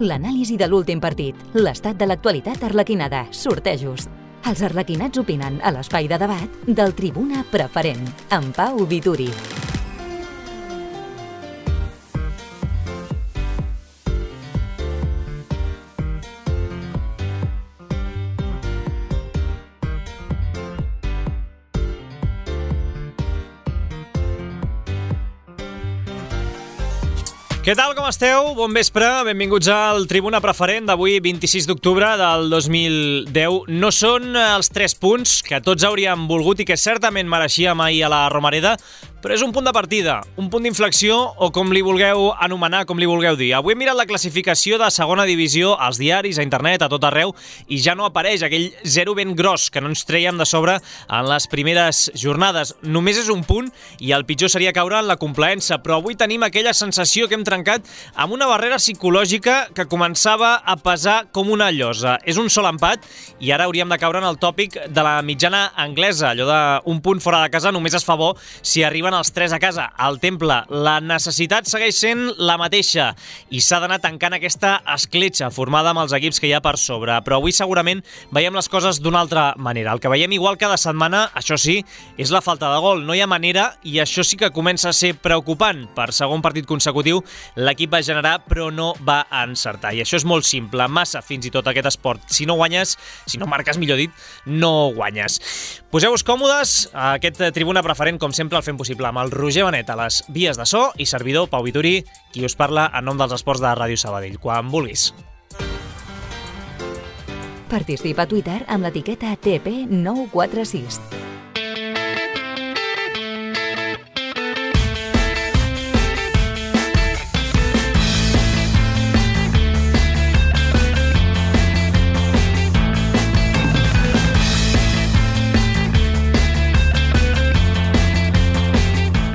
L'anàlisi de l'últim partit, l'estat de l'actualitat arlequinada, sortejos. Els arlequinats opinen a l'espai de debat del Tribuna Preferent, amb Pau Vituri. Què tal, com esteu? Bon vespre, benvinguts al Tribuna Preferent d'avui, 26 d'octubre del 2010. No són els 3 punts que tots hauríem volgut i que certament mereixíem ahir a la Romareda, però és un punt de partida, un punt d'inflexió o com li vulgueu anomenar, com li vulgueu dir. Avui he mirat la classificació de segona divisió als diaris, a internet, a tot arreu, i ja no apareix aquell 0 ben gros que no ens trèiem de sobre en les primeres jornades. Només és un punt i el pitjor seria caure en la complaença, però avui tenim aquella sensació que hem trencat amb una barrera psicològica que començava a pesar com una llosa. És un sol empat i ara hauríem de caure en el tòpic de la mitjana anglesa, allò d'un punt fora de casa només es fa bo si arriben els 3 a casa. Al Temple, la necessitat segueix sent la mateixa i s'ha d'anar tancant aquesta escletxa formada amb els equips que hi ha per sobre, però avui segurament veiem les coses d'una altra manera. El que veiem igual cada setmana, això sí, és la falta de gol. No hi ha manera i això sí que comença a ser preocupant. Per segon partit consecutiu, l'equip va generar però no va encertar. I això és molt simple, massa fins i tot aquest esport. Si no guanyes, si no marques, millor dit, no guanyes. Poseu-vos còmodes, aquest Tribuna Preferent, com sempre, el fem possible amb el Roger Benet a les vies de so i servidor Pau Vituri, qui us parla en nom dels esports de Ràdio Sabadell. Quan vulguis. Participa a Twitter amb l'etiqueta TP946.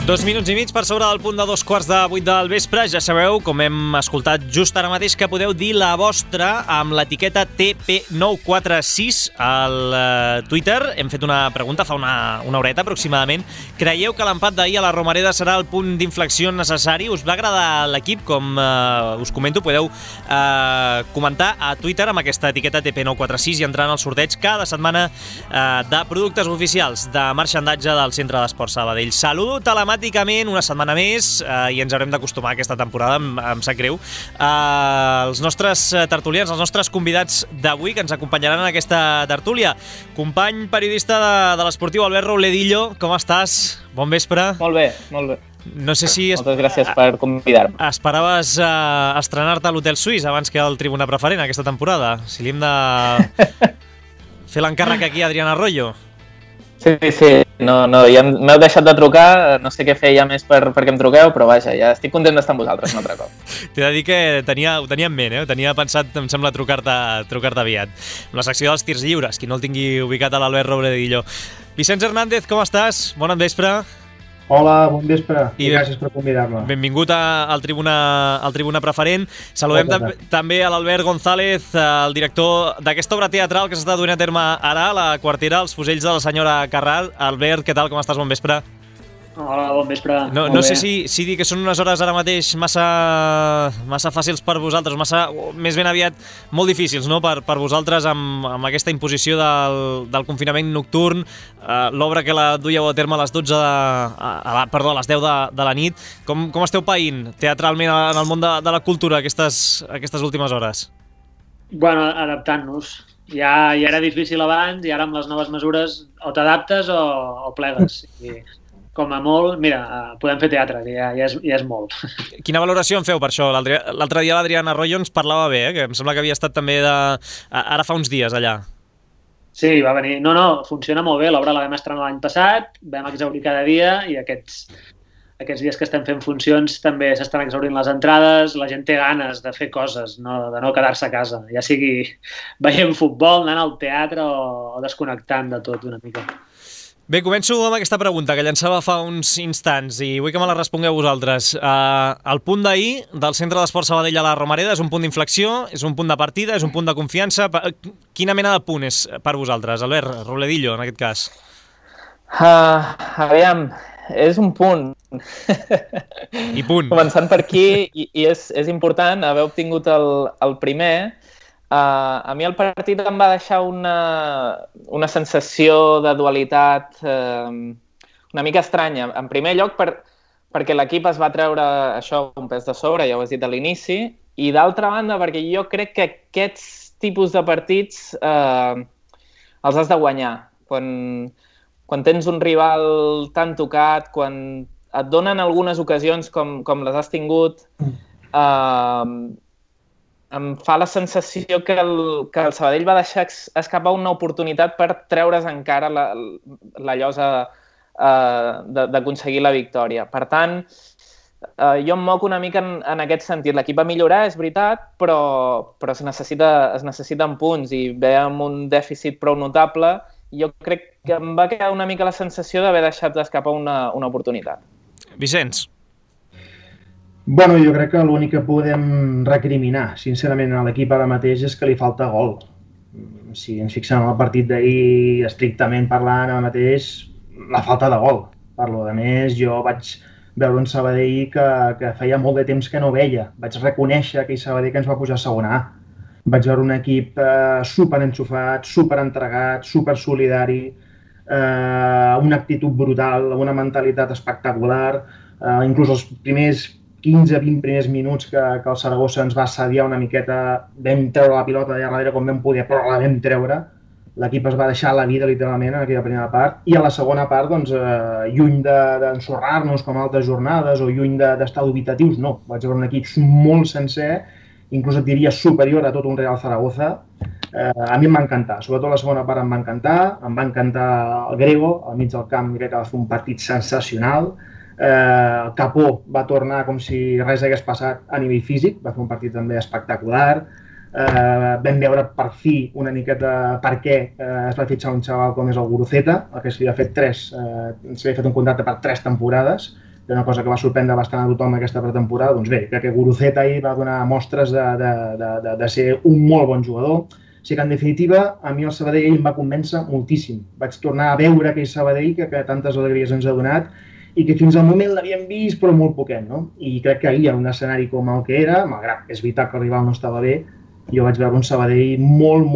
Dos minuts i mig per sobre del punt de 7:45 del vespre. Ja sabeu, com hem escoltat just ara mateix, que podeu dir la vostra amb l'etiqueta TP946 al Twitter. Hem fet una pregunta fa una horeta aproximadament. Creieu que l'empat d'ahir a la Romareda serà el punt d'inflexió necessari? Us va agradar l'equip? Com us comento, podeu comentar a Twitter amb aquesta etiqueta TP946 i entrar en el sorteig cada setmana de productes oficials de marxandatge del Centre d'Esports Sabadell. Saludo telemàticament una setmana més i ens haurem d'acostumar a aquesta temporada, em sap greu. Els nostres tertulians, els nostres convidats d'avui que ens acompanyaran en aquesta tertúlia. Company periodista de l'Esportiu, Albert Rouledillo, com estàs? Bon vespre. Molt bé, molt bé. No sé si moltes gràcies per convidar-me. Esperaves estrenar-te a l'Hotel Suís abans que al Tribuna Preferent aquesta temporada. Si li hem de fer l'encàrrec aquí a Adrián Arroyo. Sí, no, ja m'heu deixat de trucar, no sé què fer ja més perquè em truqueu, però vaja, ja estic content d'estar amb vosaltres un altre cop. T'he de dir que ho tenia en ment, tenia pensat, em sembla, trucar-te aviat. Amb la secció dels tirs lliures, qui no el tingui ubicat a l'Albert Rouledillo. Vicenç Hernández, com estàs? Bon vespre. Hola, bon vespre i gràcies per convidar-me. Benvingut al Tribuna Preferent. Saludem també a l'Albert González, el director d'aquesta obra teatral que s'està duent a terme ara a la Quartera, Els fusells de la senyora Carral. Albert, què tal, com estàs? Bon vespre. Hola, bon vespre. No sé si dir que són unes hores ara mateix massa fàcils per vosaltres, més ben aviat molt difícils, no? Per vosaltres amb aquesta imposició del confinament nocturn, l'obra que la duieu a terme a les 10 de la nit. Com esteu païnt teatralment en el món de la cultura aquestes últimes hores? Bueno, adaptant-nos. Ja era difícil abans i ara amb les noves mesures o t'adaptes o plegues. Com a molt, mira, podem fer teatre, que ja és molt. Quina valoració en feu per això? L'altre dia l'Adrián Arroyo ens parlava bé, que em sembla que havia estat també ara fa uns dies allà. Sí, va venir. No, funciona molt bé. L'obra la vam estrenar l'any passat, vam exaurir cada dia i aquests dies que estem fent funcions també s'estan exaurint les entrades, la gent té ganes de fer coses, de no quedar-se a casa, ja sigui veient futbol, anant al teatre o desconnectant de tot una mica. Bé, començo amb aquesta pregunta que llançava fa uns instants i vull que me la respongueu vosaltres. El punt d'ahir del Centre d'Esports Sabadell a la Romareda és un punt d'inflexió, és un punt de partida, és un punt de confiança. Quina mena de punt és per vosaltres, Albert Rouledillo, en aquest cas? Aviam, és un punt. I punt. Començant per aquí, i és important haver obtingut el primer. A mi el partit em va deixar una sensació de dualitat una mica estranya. En primer lloc, perquè l'equip es va treure això un pes de sobre, ja ho has dit a l'inici, i d'altra banda, perquè jo crec que aquests tipus de partits els has de guanyar. Quan tens un rival tan tocat, quan et donen algunes ocasions com les has tingut, em fa la sensació que el Sabadell va deixar escapar una oportunitat per treure's encara la llosa d'aconseguir la victòria. Per tant, jo em moc una mica en aquest sentit. L'equip va millorar, és veritat, però es necessiten punts i ve amb un dèficit prou notable. Jo crec que em va quedar una mica la sensació d'haver deixat d'escapar una oportunitat. Vicenç. Bueno, jo crec que l'únic que podem recriminar, sincerament, a l'equip ara mateix és que li falta gol. Si ens fixem en el partit d'ahir, estrictament parlant, ara mateix, la falta de gol. Parlo, a més, jo vaig veure un Sabadell que feia molt de temps que no veia. Vaig reconèixer aquell Sabadell que ens va pujar a segona A. Vaig veure un equip superenxufat, superentregat, supersolidari, una actitud brutal, una mentalitat espectacular. Inclús els primers 15-20 primers minuts que el Saragossa ens va assediar una miqueta, vam treure la pilota d'allà darrere com vam poder, però la vam treure. L'equip es va deixar la vida literalment en aquella primera part, i a la segona part, doncs, lluny d'ensorrar-nos com altres jornades o lluny d'estar dubitatius, no. Vaig veure un equip molt sencer, inclús et diria superior a tot un Real Zaragoza. A mi em va encantar, sobretot la segona part em va encantar el Grego, al mig del camp crec que va fer un partit sensacional. Capó va tornar com si res hagués passat a nivell físic, va fer un partit també espectacular. Vam veure per fi una miqueta per què es va fitxar un xaval com és el Guruceta, el que s'havia fet un contracte per 3 temporades, que una cosa que va sorprendre bastant a tothom aquesta pretemporada. Doncs bé, crec que Guruceta ahir va donar mostres de ser un molt bon jugador. O sigui que, en definitiva, a mi el Sabadell em va convèncer moltíssim. Vaig tornar a veure aquell Sabadell que tantes alegries ens ha donat i que fins al moment l'havíem vist, però molt poquet, no? I crec que ahir, en un escenari com el que era, malgrat que és veritat que el rival no estava bé, jo vaig veure un Sabadell molt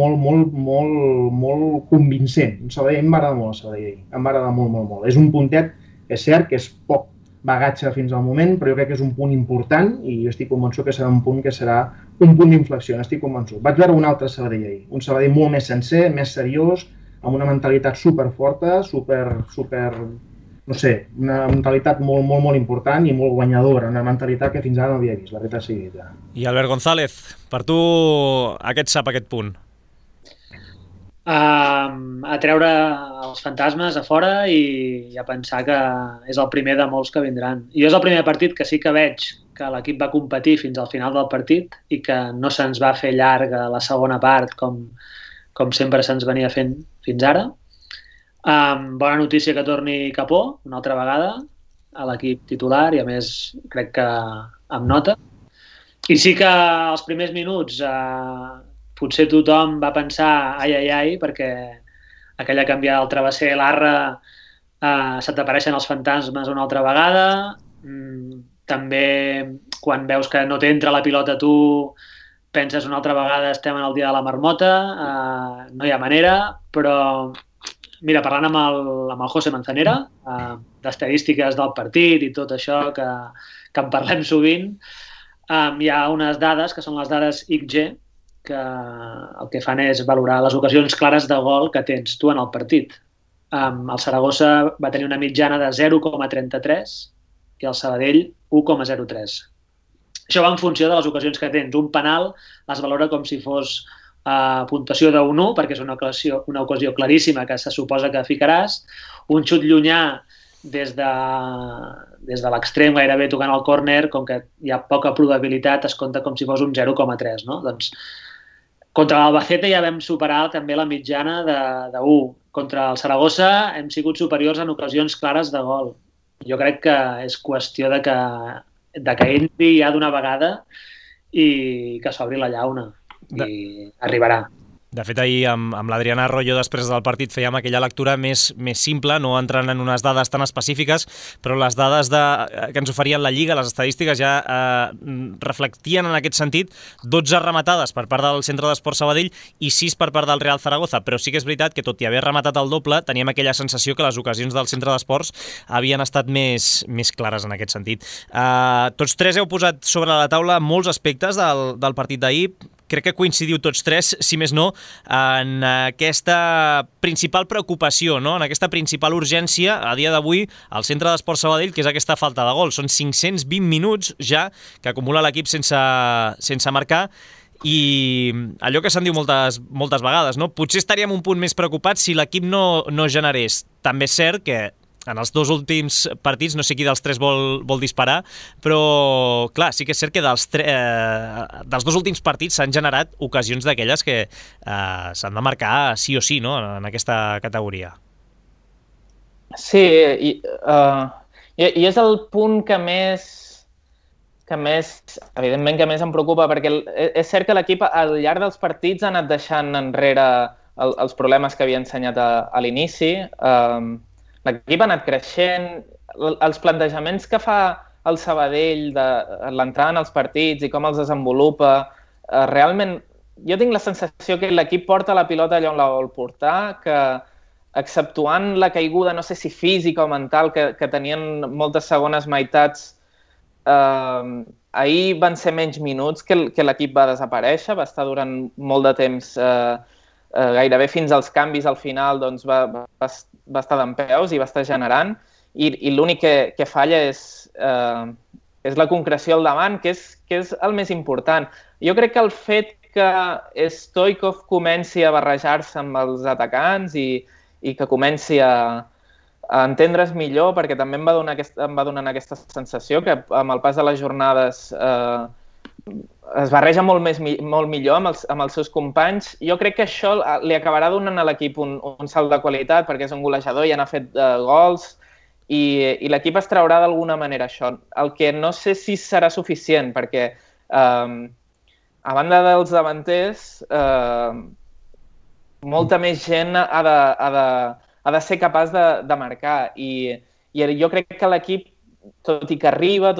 convincent. Un Sabadell, em va agradar molt el Sabadell. Em va agradar molt. És un puntet, és cert que és poc bagatge fins al moment, però jo crec que és un punt important i jo estic convençut que serà un punt d'inflexió, estic convençut. Vaig veure un altre Sabadell ahir, un Sabadell molt més sencer, més seriós, amb una mentalitat superforta, no sé, una mentalitat molt important i molt guanyadora, una mentalitat que fins ara no havia vist, la veritat sigui dita. I Albert González, per tu aquest punt? A treure els fantasmes a fora i a pensar que és el primer de molts que vindran. Jo és el primer partit que sí que veig que l'equip va competir fins al final del partit i que no se'ns va fer llarga la segona part com sempre se'ns venia fent fins ara. Bona notícia que torni Capó una altra vegada a l'equip titular i a més crec que amb nota. I sí que als primers minuts potser tothom va pensar ai, perquè aquella canviada del travesser l'Arra se t'apareixen els fantasmes una altra vegada. També quan veus que no t'entra la pilota tu penses una altra vegada estem en el dia de la marmota, no hi ha manera, però mira, parlant amb el José Manzanera, d'estadístiques del partit i tot això que en parlem sovint, hi ha unes dades que són les dades XG, que el que fan és valorar les ocasions clares de gol que tens tu en el partit. El Saragossa va tenir una mitjana de 0,33 i el Sabadell 1,03. Això va en funció de les ocasions que tens. Un penal es valora com si fos puntuació de 1-1, perquè és una ocasió claríssima que se suposa que ficaràs. Un xut llunyà des de l'extrem gairebé tocant el córner, com que hi ha poca probabilitat, es compta com si fos un 0,3, no? Doncs contra l'Albacete ja vam superar també la mitjana de 1. Contra el Saragossa hem sigut superiors en ocasions clares de gol. Jo crec que és qüestió de que entri ja d'una vegada i que s'obri la llauna. I arribarà. De fet, ahir amb l'Adriana Arroyo després del partit fèiem aquella lectura més simple, no entrant en unes dades tan específiques, però les dades que ens oferien la Lliga, les estadístiques ja reflectien en aquest sentit 12 rematades per part del Centre d'Esports Sabadell i 6 per part del Real Zaragoza, però sí que és veritat que tot i haver rematat el doble, teníem aquella sensació que les ocasions del Centre d'Esports havien estat més clares en aquest sentit. Tots tres heu posat sobre la taula molts aspectes del partit d'ahir. Crec que coincidiu tots tres, si més no, en aquesta principal preocupació, no? En aquesta principal urgència a dia d'avui al Centre d'Esports Sabadell, que és aquesta falta de gol. Són 520 minuts ja que acumula l'equip sense marcar i allò que se'n diu moltes vegades, no? Potser estaríem un punt més preocupats si l'equip no generés. També és cert que en els dos últims partits, no sé qui dels tres vol disparar, però clar, sí que és cert que dels dos últims partits s'han generat ocasions d'aquelles que s'han de marcar sí o sí, no?, en aquesta categoria. Sí, i és el punt que més, evidentment que més em preocupa, perquè és cert que l'equip al llarg dels partits ha anat deixant enrere els problemes que havia ensenyat a l'inici. L'equip ha anat creixent, els plantejaments que fa el Sabadell de l'entrada en els partits i com els desenvolupa, realment jo tinc la sensació que l'equip porta la pilota allà on la vol portar, que exceptuant la caiguda, no sé si física o mental, que tenien moltes segones meitats, ahir van ser menys minuts que l'equip va desaparèixer, va estar durant molt de temps, gairebé fins als canvis al final, doncs va estar dempeus i va estar generant, i l'únic que falla és la concreció al davant, que és el més important. Jo crec que el fet que Stoichkov comenci a barrejar-se amb els atacants i que comenci a entendre's millor, perquè també em va donant aquesta sensació que amb el pas de les jornades es barreja molt millor amb els seus companys. Jo crec que això li acabarà donant a l'equip un salt de qualitat, perquè és un golejador i n'ha fet gols, i l'equip es traurà d'alguna manera això. El que no sé si serà suficient, perquè a banda dels davanters, molta més gent ha de ser capaç de marcar, i jo crec que l'equip, tot i que arriba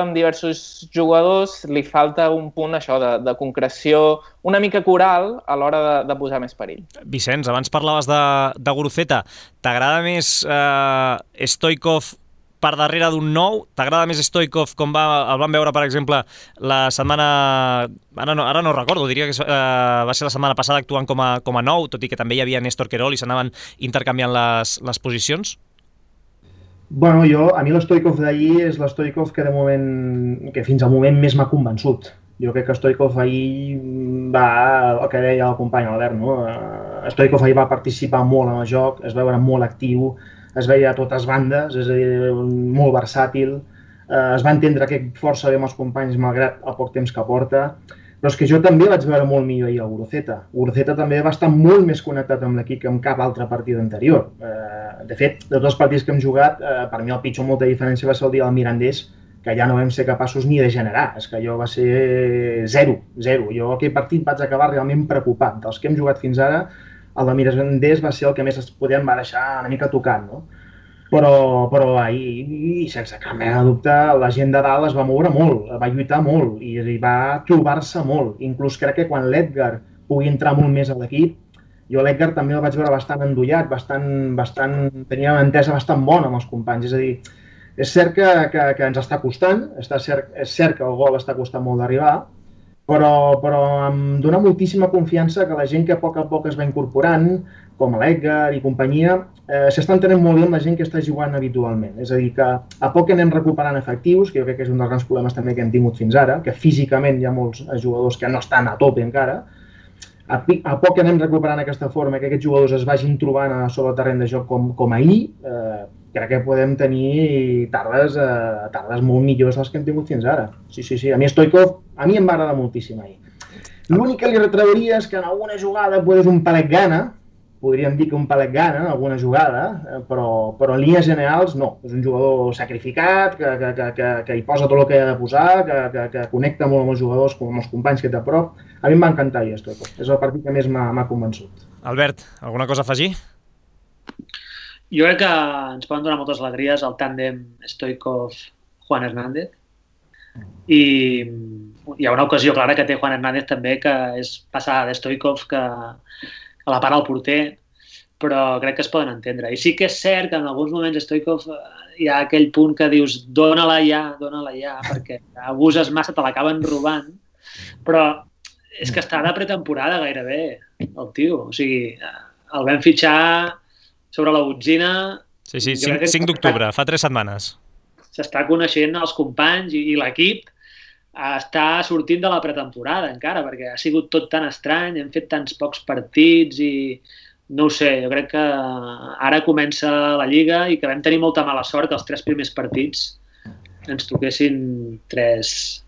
amb diversos jugadors, li falta un punt això de concreció una mica coral a l'hora de posar més perill. Vicenç, abans parlaves de Guruceta. T'agrada més Stoichkov per darrere d'un nou? T'agrada més Stoichkov com el vam veure, per exemple, la setmana... Ara no recordo, diria que va ser la setmana passada actuant com a nou, tot i que també hi havia Néstor Querol i s'anaven intercanviant les posicions? Bueno, a mi l'Stoichkov d'ahir és l'Stoichkov que fins al moment més m'ha convençut. Jo crec que Stoichkov ahir el que deia el company Albert, no? Stoichkov ahir va participar molt en el joc, es veure molt actiu, es veia a totes bandes, és a dir, molt versàtil, es va entendre que força bé amb els companys malgrat el poc temps que porta, però és que jo també vaig veure molt millor ahir a Guruceta. Guruceta també va estar molt més connectat amb l'equip que en cap altre partit anterior. De fet, de tots els partits que hem jugat, per mi el pitjor molta diferència va ser el dia del Mirandés, que ja no vam ser capaços ni de generar. És que allò va ser 0. Jo aquell partit vaig acabar realment preocupat. Dels que hem jugat fins ara, el del Mirandés va ser el que més es podem deixar una mica tocant, no? Però ahir, sense cap mena de dubte, la gent de dalt es va moure molt, va lluitar molt i va trobar-se molt. Inclús crec que quan l'Edgar pugui entrar molt més a l'equip, jo l'Edgar també el vaig veure bastant endollat, tenia una entesa bastant bona amb els companys. És a dir, és cert que ens està costant, és cert que el gol està costant molt d'arribar, però em dona moltíssima confiança que la gent que a poc es va incorporant, com l'Edgar i companyia, s'estan tenint molt bé amb la gent que està jugant habitualment. És a dir, que a poc anem recuperant efectius, que jo crec que és un dels grans problemes també que hem tingut fins ara, que físicament hi ha molts jugadors que no estan a tope encara. A poc anem recuperant aquesta forma, que aquests jugadors es vagin trobant sobre el terreny de joc com ahir, crec que podem tenir tardes molt millors dels que hem tingut fins ara. Sí. A mi Stoichkov, a mi em va agradar moltíssim ahir. L'únic que li retrauria és que en alguna jugada és un palet gana, podríem dir que un palet gana en alguna jugada, però en línies generals no. És un jugador sacrificat, que hi posa tot el que ha de posar, que connecta molt amb els jugadors, com amb els companys que té a prop. A mi em va encantar Stoichkov. És el partit que més m'ha convençut. Albert, alguna cosa a afegir? Jo crec que ens poden donar moltes alegries el tàndem Stoichkov-Juan Hernández. I hi ha una ocasió clara que té Juan Hernández també, que és passar de Stoichkov que la para el porter, però crec que es poden entendre. I sí que és cert que en alguns moments Stoichkov hi ha aquell punt que dius dóna-la ja, perquè abuses massa, te l'acaben robant, però és que està de pretemporada gairebé, el tio. O sigui, el vam fitxar sobre la botzina... Sí, 5 d'octubre, fa 3 setmanes. S'està coneixent els companys i l'equip està sortint de la pretemporada encara, perquè ha sigut tot tan estrany, hem fet tants pocs partits i no ho sé, jo crec que ara comença la Lliga i que vam tenir molta mala sort que els 3 primers partits ens toquessin 3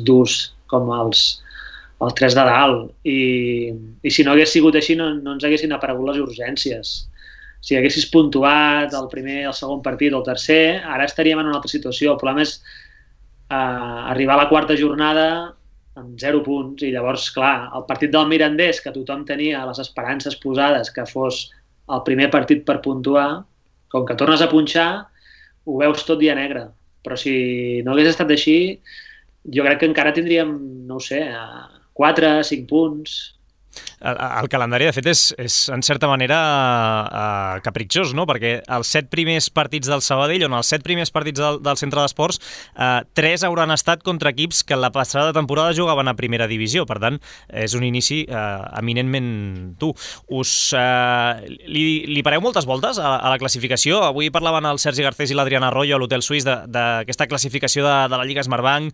durs com els 3 de dalt i si no hagués sigut així no ens haguessin aparegut les urgències. Si haguessis puntuat el primer, el segon partit o el tercer, ara estaríem en una altra situació. El problema és arribar a la 4ª jornada amb 0 punts i llavors, clar, el partit del Mirandés, que tothom tenia les esperances posades que fos el primer partit per puntuar, com que tornes a punxar, ho veus tot dia negre. Però si no hagués estat així, jo crec que encara tindríem, no ho sé, 4, 5 punts... El calendari, de fet, és en certa manera capritxós, no? Perquè els 7 primers partits del Sabadell, on els 7 primers partits del Centre d'Esports, 3 hauran estat contra equips que la passada temporada jugaven a primera divisió. Per tant, és un inici eminentment dur. Li pareu moltes voltes a la classificació? Avui parlaven el Sergi Garcés i l'Adriana Arroyo a l'Hotel Suís d'aquesta classificació de la Lliga Smartbank,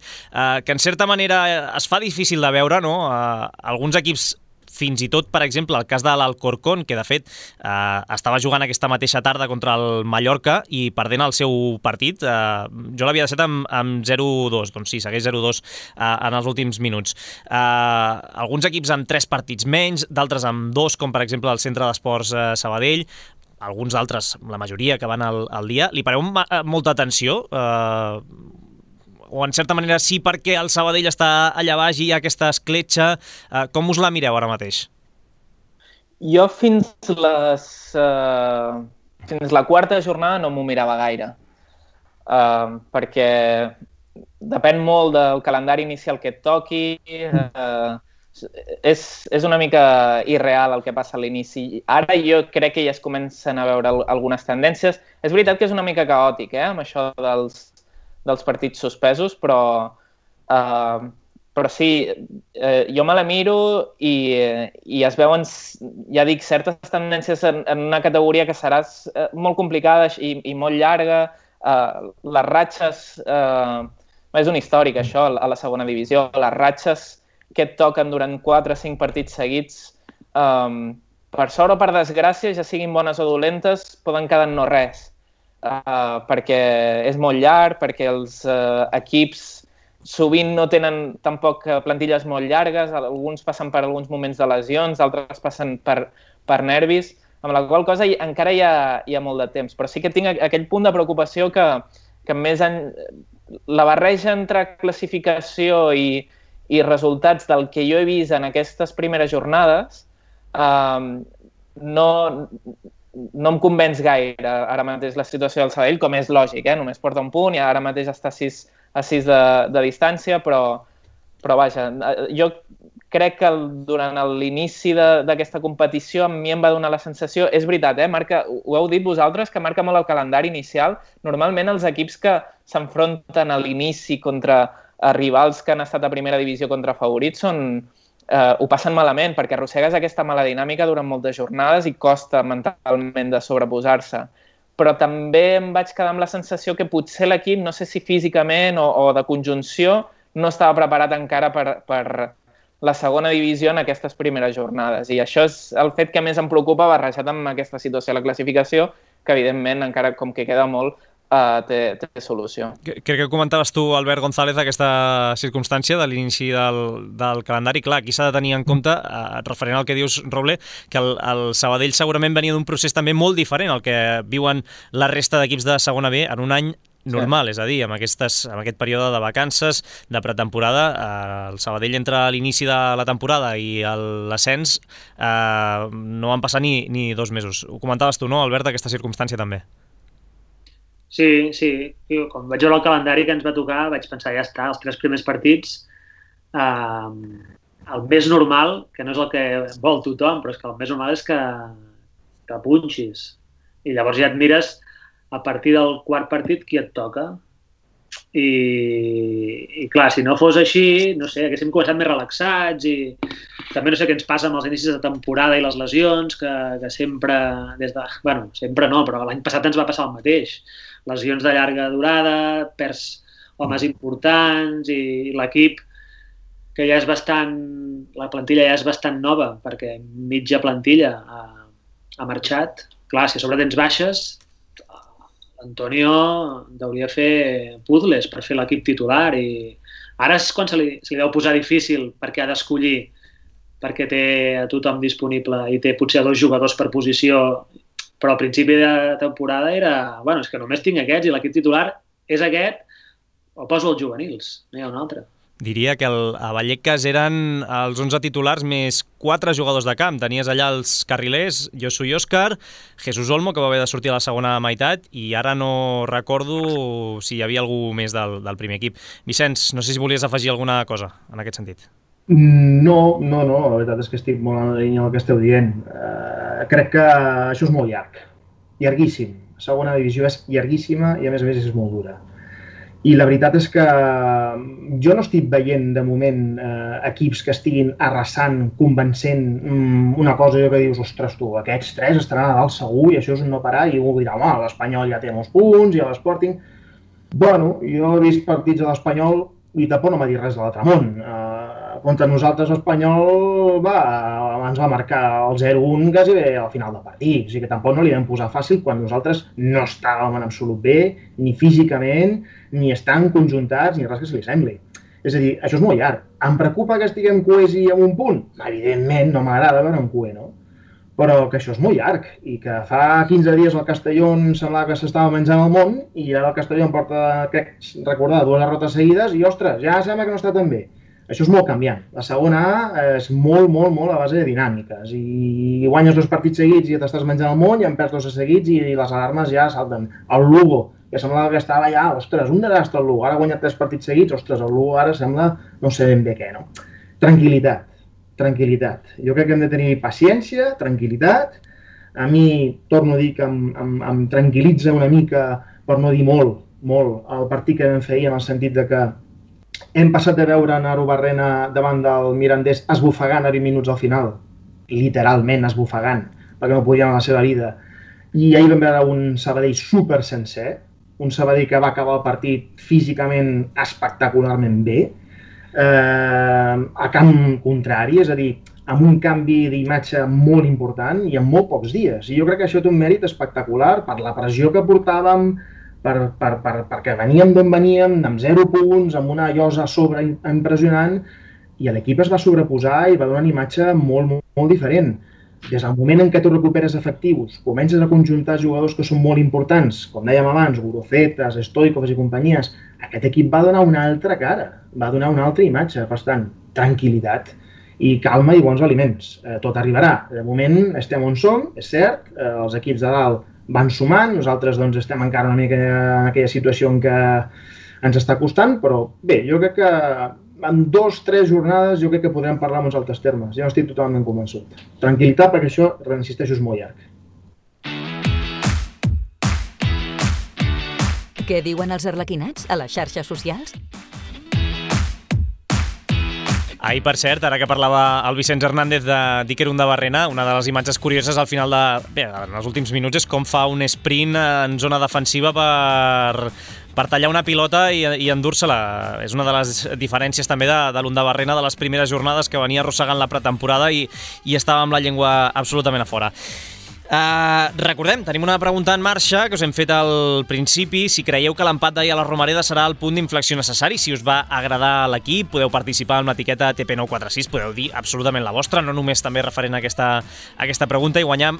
que en certa manera es fa difícil de veure, no? Alguns equips, fins i tot, per exemple, el cas de l'Alcorcón, que de fet estava jugant aquesta mateixa tarda contra el Mallorca i perdent el seu partit. Jo l'havia deixat amb 0-2, doncs sí, segueix 0-2 en els últims minuts. Alguns equips amb 3 partits menys, d'altres amb 2, com per exemple el Centre d'Esports Sabadell, alguns altres, la majoria, que van al dia. Li pareu molta atenció? O en certa manera sí, perquè el Sabadell està allà baix i hi ha aquesta escletxa. Com us la mireu ara mateix? Jo fins la 4ª jornada no m'ho mirava gaire, perquè depèn molt del calendari inicial que et toqui, és una mica irreal el que passa a l'inici. Ara jo crec que ja es comencen a veure algunes tendències. És veritat que és una mica caòtic, amb això dels partits suspesos, però sí, jo me la miro i es veuen, ja dic, certes tendències en una categoria que serà molt complicada i molt llarga. Les ratxes, és un històric això a la segona divisió, les ratxes que et toquen durant 4 o 5 partits seguits, per sort o per desgràcia, ja siguin bones o dolentes, poden quedar en no res. Perquè és molt llarg, perquè els equips sovint no tenen tampoc plantilles molt llargues, alguns passen per alguns moments de lesions, altres passen per nervis, amb la qual cosa encara hi ha molt de temps. Però sí que tinc aquell punt de preocupació que més la barreja entre classificació i resultats del que jo he vist en aquestes primeres jornades no em convenç gaire ara mateix la situació del Sabadell, com és lògic, només porta un punt i ara mateix està a 6 de distància, però vaja, jo crec que durant l'inici d'aquesta competició a mi em va donar la sensació, és veritat, marca, ho heu dit vosaltres, que marca molt el calendari inicial. Normalment els equips que s'enfronten a l'inici contra rivals que han estat a primera divisió contra favorits ho passen malament, perquè arrossegues aquesta mala dinàmica durant moltes jornades i costa mentalment de sobreposar-se. Però també em vaig quedar amb la sensació que potser l'equip, no sé si físicament o de conjunció, no estava preparat encara per la segona divisió en aquestes primeres jornades. I això és el fet que més em preocupa barrejat amb aquesta situació de la classificació, que evidentment encara com que queda molt, té solució. Crec que comentaves tu, Albert González, aquesta circumstància de l'inici del calendari. Clar, aquí s'ha de tenir en compte, referent al que dius, Roble, que el Sabadell segurament venia d'un procés també molt diferent al que viuen la resta d'equips de segona B en un any normal, és a dir, amb aquest període de vacances, de pretemporada. El Sabadell entre l'inici de la temporada i l'ascens no van passar ni 2 mesos. Ho comentaves tu, no, Albert, aquesta circumstància també? Sí. Quan vaig veure el calendari que ens va tocar vaig pensar, ja està, els 3 primers partits, el més normal, que no és el que vol tothom, però és que el més normal és que punxis. I llavors ja et mires a partir del 4 partit qui et toca. I clar, si no fos així, no sé, haguéssim començat més relaxats i també no sé què ens passa amb els inicis de temporada i les lesions, que sempre, sempre no, però l'any passat ens va passar el mateix. Lesions de llarga durada, perds homes importants i l'equip, que ja és la plantilla ja és bastant nova, perquè mitja plantilla ha marxat. Clar, si a sobre tens baixes, Antonio hauria de fer puzzles per fer l'equip titular i ara és quan se li deu posar difícil perquè ha d'escollir, perquè té a tothom disponible i té potser 2 jugadors per posició, però al principi de temporada era, és que només tinc aquests i l'equip titular és aquest, o poso els juvenils, no hi ha un altre. Diria que a Vallecas eren els 11 titulars més 4 jugadors de camp. Tenies allà els carrilers, Josu i Òscar, Jesús Olmo, que va haver de sortir a la segona meitat, i ara no recordo si hi havia algú més del primer equip. Vicenç, no sé si volies afegir alguna cosa en aquest sentit. No, la veritat és que estic molt en la línia del que esteu dient. Crec que això és molt llarg, llarguíssim. La segona divisió és llarguíssima i a més és molt dura. I la veritat és que jo no estic veient de moment equips que estiguin arrasant, convencent una cosa que dius, ostres tu, aquests 3 estaran a dalt segur i això és un no parar i algú dirà, home, l'Espanyol ja té molts punts i l'Sporting... Bueno, jo he vist partits de l'Espanyol i tampoc no m'ha dit res de l'altre món. Contra nosaltres l'Espanyol abans va marcar el 0-1 quasi bé al final del partit, o sigui que tampoc no li vam posar fàcil quan nosaltres no estàvem en absolut bé, ni físicament, ni estan conjuntats, ni res que se li sembli. És a dir, això és molt llarg. Em preocupa que estiguem coers i en un punt? Evidentment, no m'agrada veure un coer, no? Però que això és molt llarg i que fa 15 dies el Castelló semblava que s'estava menjant el món i ara el Castelló em porta, crec, recordar, 2 derrotes seguides i, ostres, ja sembla que no està tan bé. Això és molt canviant. La segona A és molt a base de dinàmiques i guanyes 2 partits seguits i t'estàs menjant el món i en perds 2 seguits i les alarmes ja salten. El Lugo, que semblava que estava ja, ostres, un desastre el Lugo, ara ha guanyat 3 partits seguits, ostres, el Lugo ara sembla no sé ben bé què, no? Tranquil·litat. Jo crec que hem de tenir paciència, tranquil·litat. A mi, torno a dir que em tranquil·litza una mica, per no dir molt, el partit que vam fer ahir en el sentit de que hem passat de veure Nairo Barrena davant del Mirandés esbufegant a 20 minuts al final, literalment esbufegant, perquè no podien a la seva vida. I ahir vam veure un Sabadell super sencer, un Sabadell que va acabar el partit físicament espectacularment bé, a camp contrari, és a dir, amb un canvi d'imatge molt important i en molt pocs dies. I jo crec que això té un mèrit espectacular per la pressió que portàvem, perquè veníem d'on veníem, amb 0 punts, amb una llosa a sobre impressionant, i l'equip es va sobreposar i va donar una imatge molt diferent. Des del moment en què tu recuperes efectius, comences a conjuntar jugadors que són molt importants, com dèiem abans, Gurucetas, Stoikovs i companyies, aquest equip va donar una altra cara, va donar una altra imatge, per tant, tranquil·litat i calma i bons aliments. Tot arribarà. De moment estem on som, és cert, els equips de dalt van sumant, nosaltres doncs, estem encara una mica en aquella situació en què ens està costant, però bé, jo crec que en 2 o 3 jornades jo crec que podrem parlar en uns altres termes. Jo no estic totalment convençut. Tranquil·litat, perquè això, reinsisteixo, és molt llarg. Què diuen els arlequinats a les xarxes socials? Ahir, per cert, ara que parlava el Vicenç Hernández de Diquerun de Barrena, una de les imatges curioses al final en els últims minuts és com fa un sprint en zona defensiva per tallar una pilota i endur-se-la. És una de les diferències també de l'Unda Barrena de les primeres jornades, que venia arrossegant la pretemporada i estava amb la llengua absolutament a fora. Recordem, tenim una pregunta en marxa que us hem fet al principi. Si creieu que l'empat d'ahir a la Romareda serà el punt d'inflexió necessari, si us va agradar l'equip, podeu participar amb l'etiqueta TP946, podeu dir absolutament la vostra, no només també referent a aquesta pregunta, i guanyar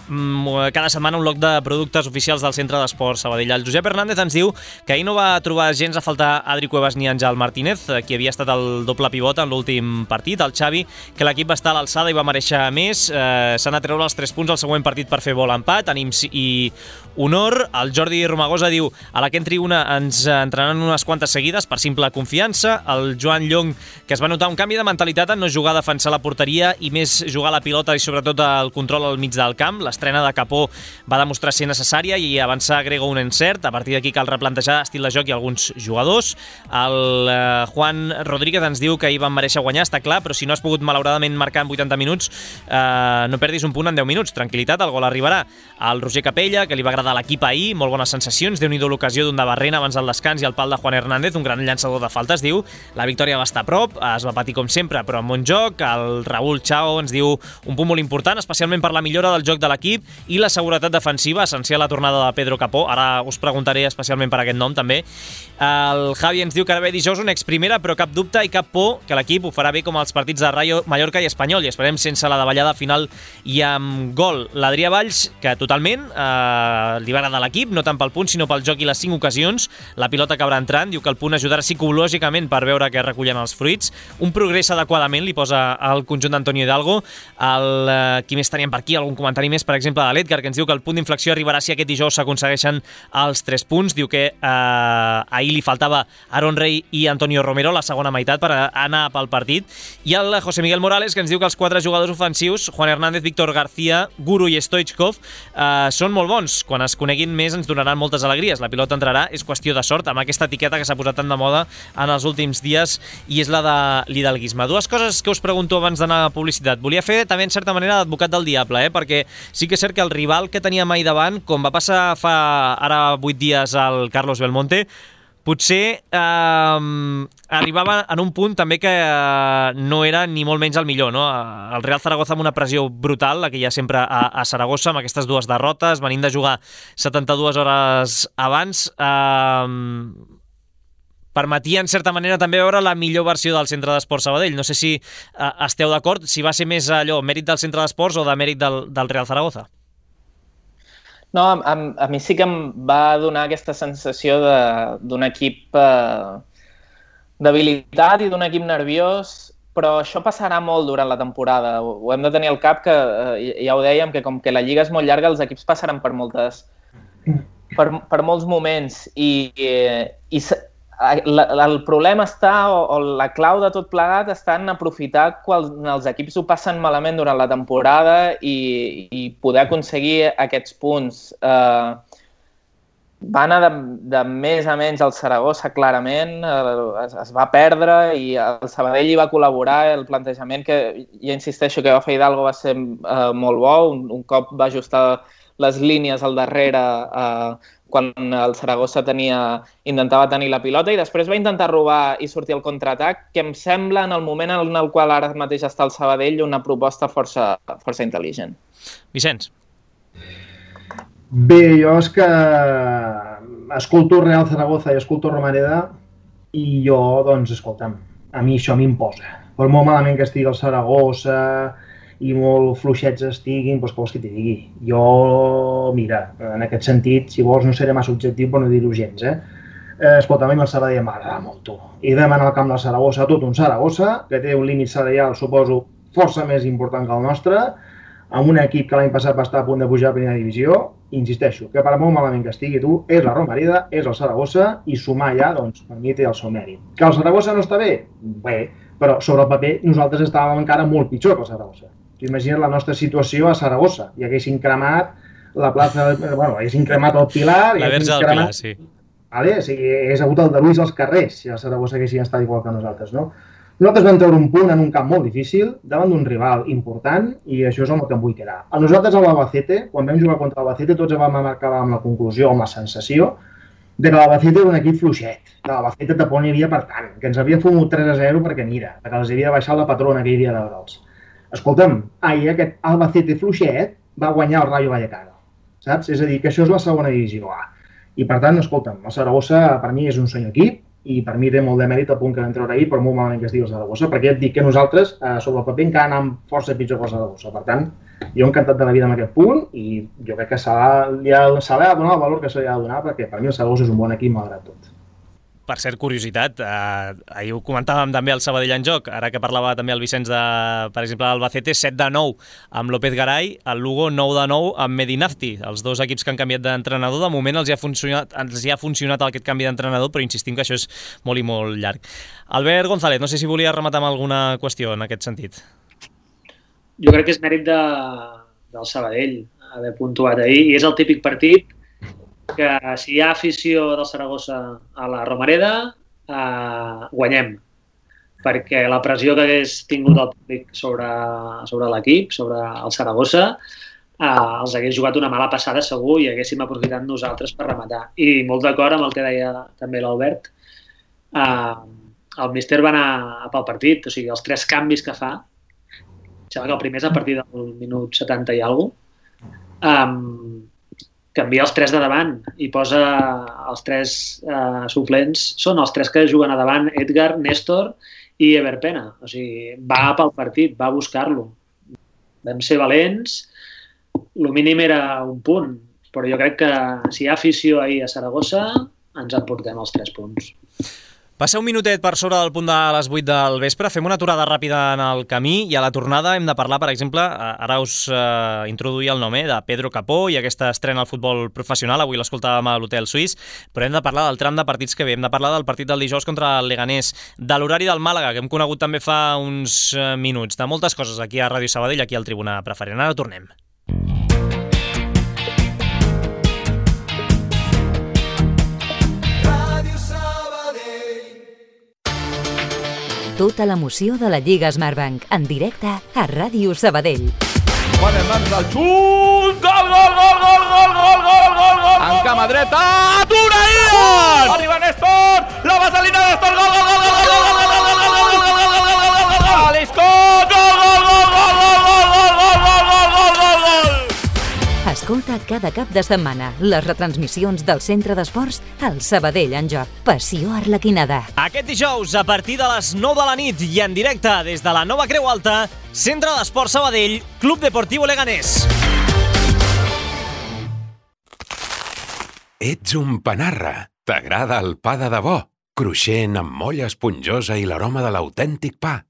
cada setmana un lot de productes oficials del Centre d'Esports Sabadell. El Josep Hernández ens diu que ahir no va trobar gens a faltar Adri Cuevas ni Àngel Martínez, qui havia estat el doble pivot en l'últim partit. El Xavi, que l'equip va estar a l'alçada i va mereixer més, s'han de treure els 3 punts al següent partit per fer bo l'empat, ànims i honor. El Jordi Romagosa diu: a la que entri una ens entrenaran unes quantes seguides per simple confiança. El Joan Llong, que es va notar un canvi de mentalitat en no jugar a defensar la porteria i més jugar a la pilota i sobretot el control al mig del camp. L'estrena de Capó va demostrar ser necessària i avançar agrega un encert. A partir d'aquí cal replantejar estil de joc i alguns jugadors. El Juan Rodríguez ens diu que ahir van mereixer guanyar, està clar, però si no has pogut malauradament marcar en 80 minuts, no perdis un punt en 10 minuts. Tranquil·litat, el gol arribarà. El Roger Capella, que li va agradar l'equip ahir, molt bones sensacions, déu-n'hi-do l'ocasió d'un de Barrena abans del descans i el pal de Juan Hernández, un gran llançador de faltes, diu. La victòria va estar a prop, es va patir com sempre, però amb bon joc. El Raúl Chao ens diu un punt molt important, especialment per la millora del joc de l'equip i la seguretat defensiva, essencial la tornada de Pedro Capó. Ara us preguntaré especialment per aquest nom també. El Javi ens diu que ara ve dijous una exprimera, però cap dubte i cap por que l'equip ho farà bé com els partits de Rayo, Mallorca i Espanyol, i esperem sense la davallada final i amb gol. L'Adrià Valls, que totalment li va agradar l'equip, no tant pel punt sinó pel joc i les 5 ocasions. La pilota acabarà entrant, diu que el punt ajudarà psicològicament per veure que recullen els fruits. Un progrés adequadament, li posa el conjunt d'Antonio Hidalgo. Qui més teníem per aquí? Algun comentari més, per exemple, de l'Edgar, que ens diu que el punt d'inflexió arribarà si aquest dijous s'aconsegueixen els 3 punts. Diu que ahir li faltava Aaron Rey i Antonio Romero la segona meitat per anar pel partit. I el José Miguel Morales, que ens diu que els 4 jugadors ofensius, Juan Hernández, Víctor García, Guru i Stoichkov, són molt bons. Quan es coneguin més ens donaran moltes alegries. La pilota entrarà, és qüestió de sort, amb aquesta etiqueta que s'ha posat tan de moda en els últims dies, i és la de l'hidalguisme. 2 coses que us pregunto abans d'anar a publicitat. Volia fer també, en certa manera, d'advocat del diable, perquè sí que és cert que el rival que teníem ahir davant, com va passar fa ara 8 dies al Carlos Belmonte, potser arribava en un punt també que no era ni molt menys el millor, no? El Real Zaragoza amb una pressió brutal, la que hi ha sempre a Saragossa, amb aquestes 2 derrotes, venint de jugar 72 hores abans, permetia en certa manera també veure la millor versió del Centre d'Esports Sabadell. No sé si esteu d'acord, si va ser més allò mèrit del Centre d'Esports o de mèrit del Real Zaragoza. No, a mi sí que em va donar aquesta sensació d'un equip debilitat i d'un equip nerviós, però això passarà molt durant la temporada. Ho hem de tenir al cap, que ja ho dèiem, que com que la Lliga és molt llarga, els equips passaran per molts moments i el problema està, o la clau de tot plegat, està en aprofitar quan els equips ho passen malament durant la temporada i poder aconseguir aquests punts. Va anar de més a menys al Saragossa, clarament, es va perdre i el Sabadell hi va col·laborar. El plantejament, que ja insisteixo que va fer Hidalgo, va ser molt bo. Un cop va ajustar les línies al darrere quan el Saragossa intentava tenir la pilota, i després va intentar robar i sortir al contraatac, que em sembla, en el moment en el qual ara mateix està el Sabadell, una proposta força intel·ligent. Vicenç. Bé, jo és que escolto Real Zaragoza i escolto Romareda i jo, doncs, escolta'm, a mi això m'imposa. Per molt malament que estigui el Saragossa i molt fluixets estiguin, doncs què vols que t'hi digui? Jo, mira, en aquest sentit, si vols, no seré massa objectiu, però no dir-ho gens, Escolta, a mi el Sabadell m'agrada molt, tu. I vam anar al camp del Saragossa, tot un Saragossa, que té un límit salarial, suposo, força més important que el nostre, amb un equip que l'any passat va estar a punt de pujar a primera divisió. Insisteixo, que per molt malament que estigui, tu, és la Romareda, és el Saragossa, i sumar allà, doncs, per mi té el seu mèrit. Que el Saragossa no està bé? Bé, però sobre el paper nosaltres estàvem encara molt pitjor que el Saragossa. Imagina't la nostra situació a Saragossa, i haguessin cremat la plaça, haguessin cremat el Pilar... La verge del Pilar, sí. Vale? O sigui, hagués hagut el deluís als carrers, si el Saragossa haguessin estat igual que nosaltres, no? Nosaltres vam treure un punt en un camp molt difícil, davant d'un rival important, i això és el que em vull quedar. A nosaltres, a l'Albacete, quan vam jugar contra l'Albacete, tots vam marcar amb la conclusió, amb la sensació, de que l'Albacete era un equip fluixet, que l'Albacete tampoc n'hi havia per tant, que ens havia fumut 3-0 perquè mira, que els havia baixat la patrona aquell dia de Grols. Escolta'm, ahir aquest Albacete fluixet va guanyar el Rayo Vallecano. saps? És a dir, que això és la segona divisió A. I per tant, escolta'm, el Saragossa per mi és un senyor equip i per mi té molt de mèrit el punt que vam treure ahir, però molt malament que es diu el Saragossa, perquè ja et dic que nosaltres, sobre el paper, encara anàvem força pitjor que el Saragossa. Per tant, jo encantat de la vida amb aquest punt i jo crec que se li ha de donar el valor que se li ha de donar, perquè per mi el Saragossa és un bon equip malgrat tot. Per cert, curiositat, ahir ho comentàvem també al Sabadell en joc, ara que parlava també el Vicenç de, per exemple, l'Albacete, 7-9 amb López Garay, el Lugo 9-9 amb Medinafti, els dos equips que han canviat d'entrenador. De moment els hi ha funcionat aquest canvi d'entrenador, però insistim que això és molt i molt llarg. Albert González, no sé si volia rematar amb alguna qüestió en aquest sentit. Jo crec que és mèrit del Sabadell haver puntuat ahir, i és el típic partit que si hi ha afició del Saragossa a la Romareda, guanyem. Perquè la pressió que hagués tingut el públic sobre l'equip, sobre el Saragossa, els hagués jugat una mala passada segur i haguéssim aprofitat nosaltres per rematar. I molt d'acord amb el que deia també l'Albert, el míster va anar pel partit, o sigui, els 3 canvis que fa, sembla que el primer és a partir del minut 70 i alguna cosa, canvia els 3 de davant i posa els 3 suplents, són els 3 que juguen a davant, Edgar, Néstor i Everpena. O sigui, va pel partit, va a buscar-lo. Vam ser valents, el mínim era un punt, però jo crec que si hi ha afició ahir a Saragossa, ens emportem els 3 punts. Va ser un minutet per sobre del punt de les 8 del vespre. Fem una aturada ràpida en el camí i a la tornada hem de parlar, per exemple, ara us introduïa el nom de Pedro Capó i aquesta estrena al futbol professional. Avui l'escoltàvem a l'Hotel Suís, però hem de parlar del tram de partits que ve. Hem de parlar del partit del dijous contra el Leganés, de l'horari del Màlaga, que hem conegut també fa uns minuts, de moltes coses aquí a Ràdio Sabadell, aquí al Tribuna Preferent. Ara tornem. Tota l'emoció de la Lliga Smartbank, en directe a Ràdio Sabadell. Quan en mans del xut! Gol, gol, gol, gol, gol, gol, gol, gol, gol! En cama dreta, atura Ian! Arriba Néstor, la vaselina Néstor, gol, gol, gol, gol, gol, gol, gol, gol, gol, gol, gol, gol, gol, gol, gol, gol, gol, Aliscot, gol, gol, gol, gol, gol, gol, gol, gol, gol, gol, gol, gol! Escolta cada cap de setmana les retransmissions del Centre d'Esports al Sabadell en joc. Passió Arlequinada. Aquest dijous, a partir de les 9 de la nit i en directe des de la Nova Creu Alta, Centre d'Esports Sabadell, Club Deportiu Leganés. Ets un panarra. T'agrada el pa de debò? Cruixent, amb molla esponjosa i l'aroma de l'autèntic pa.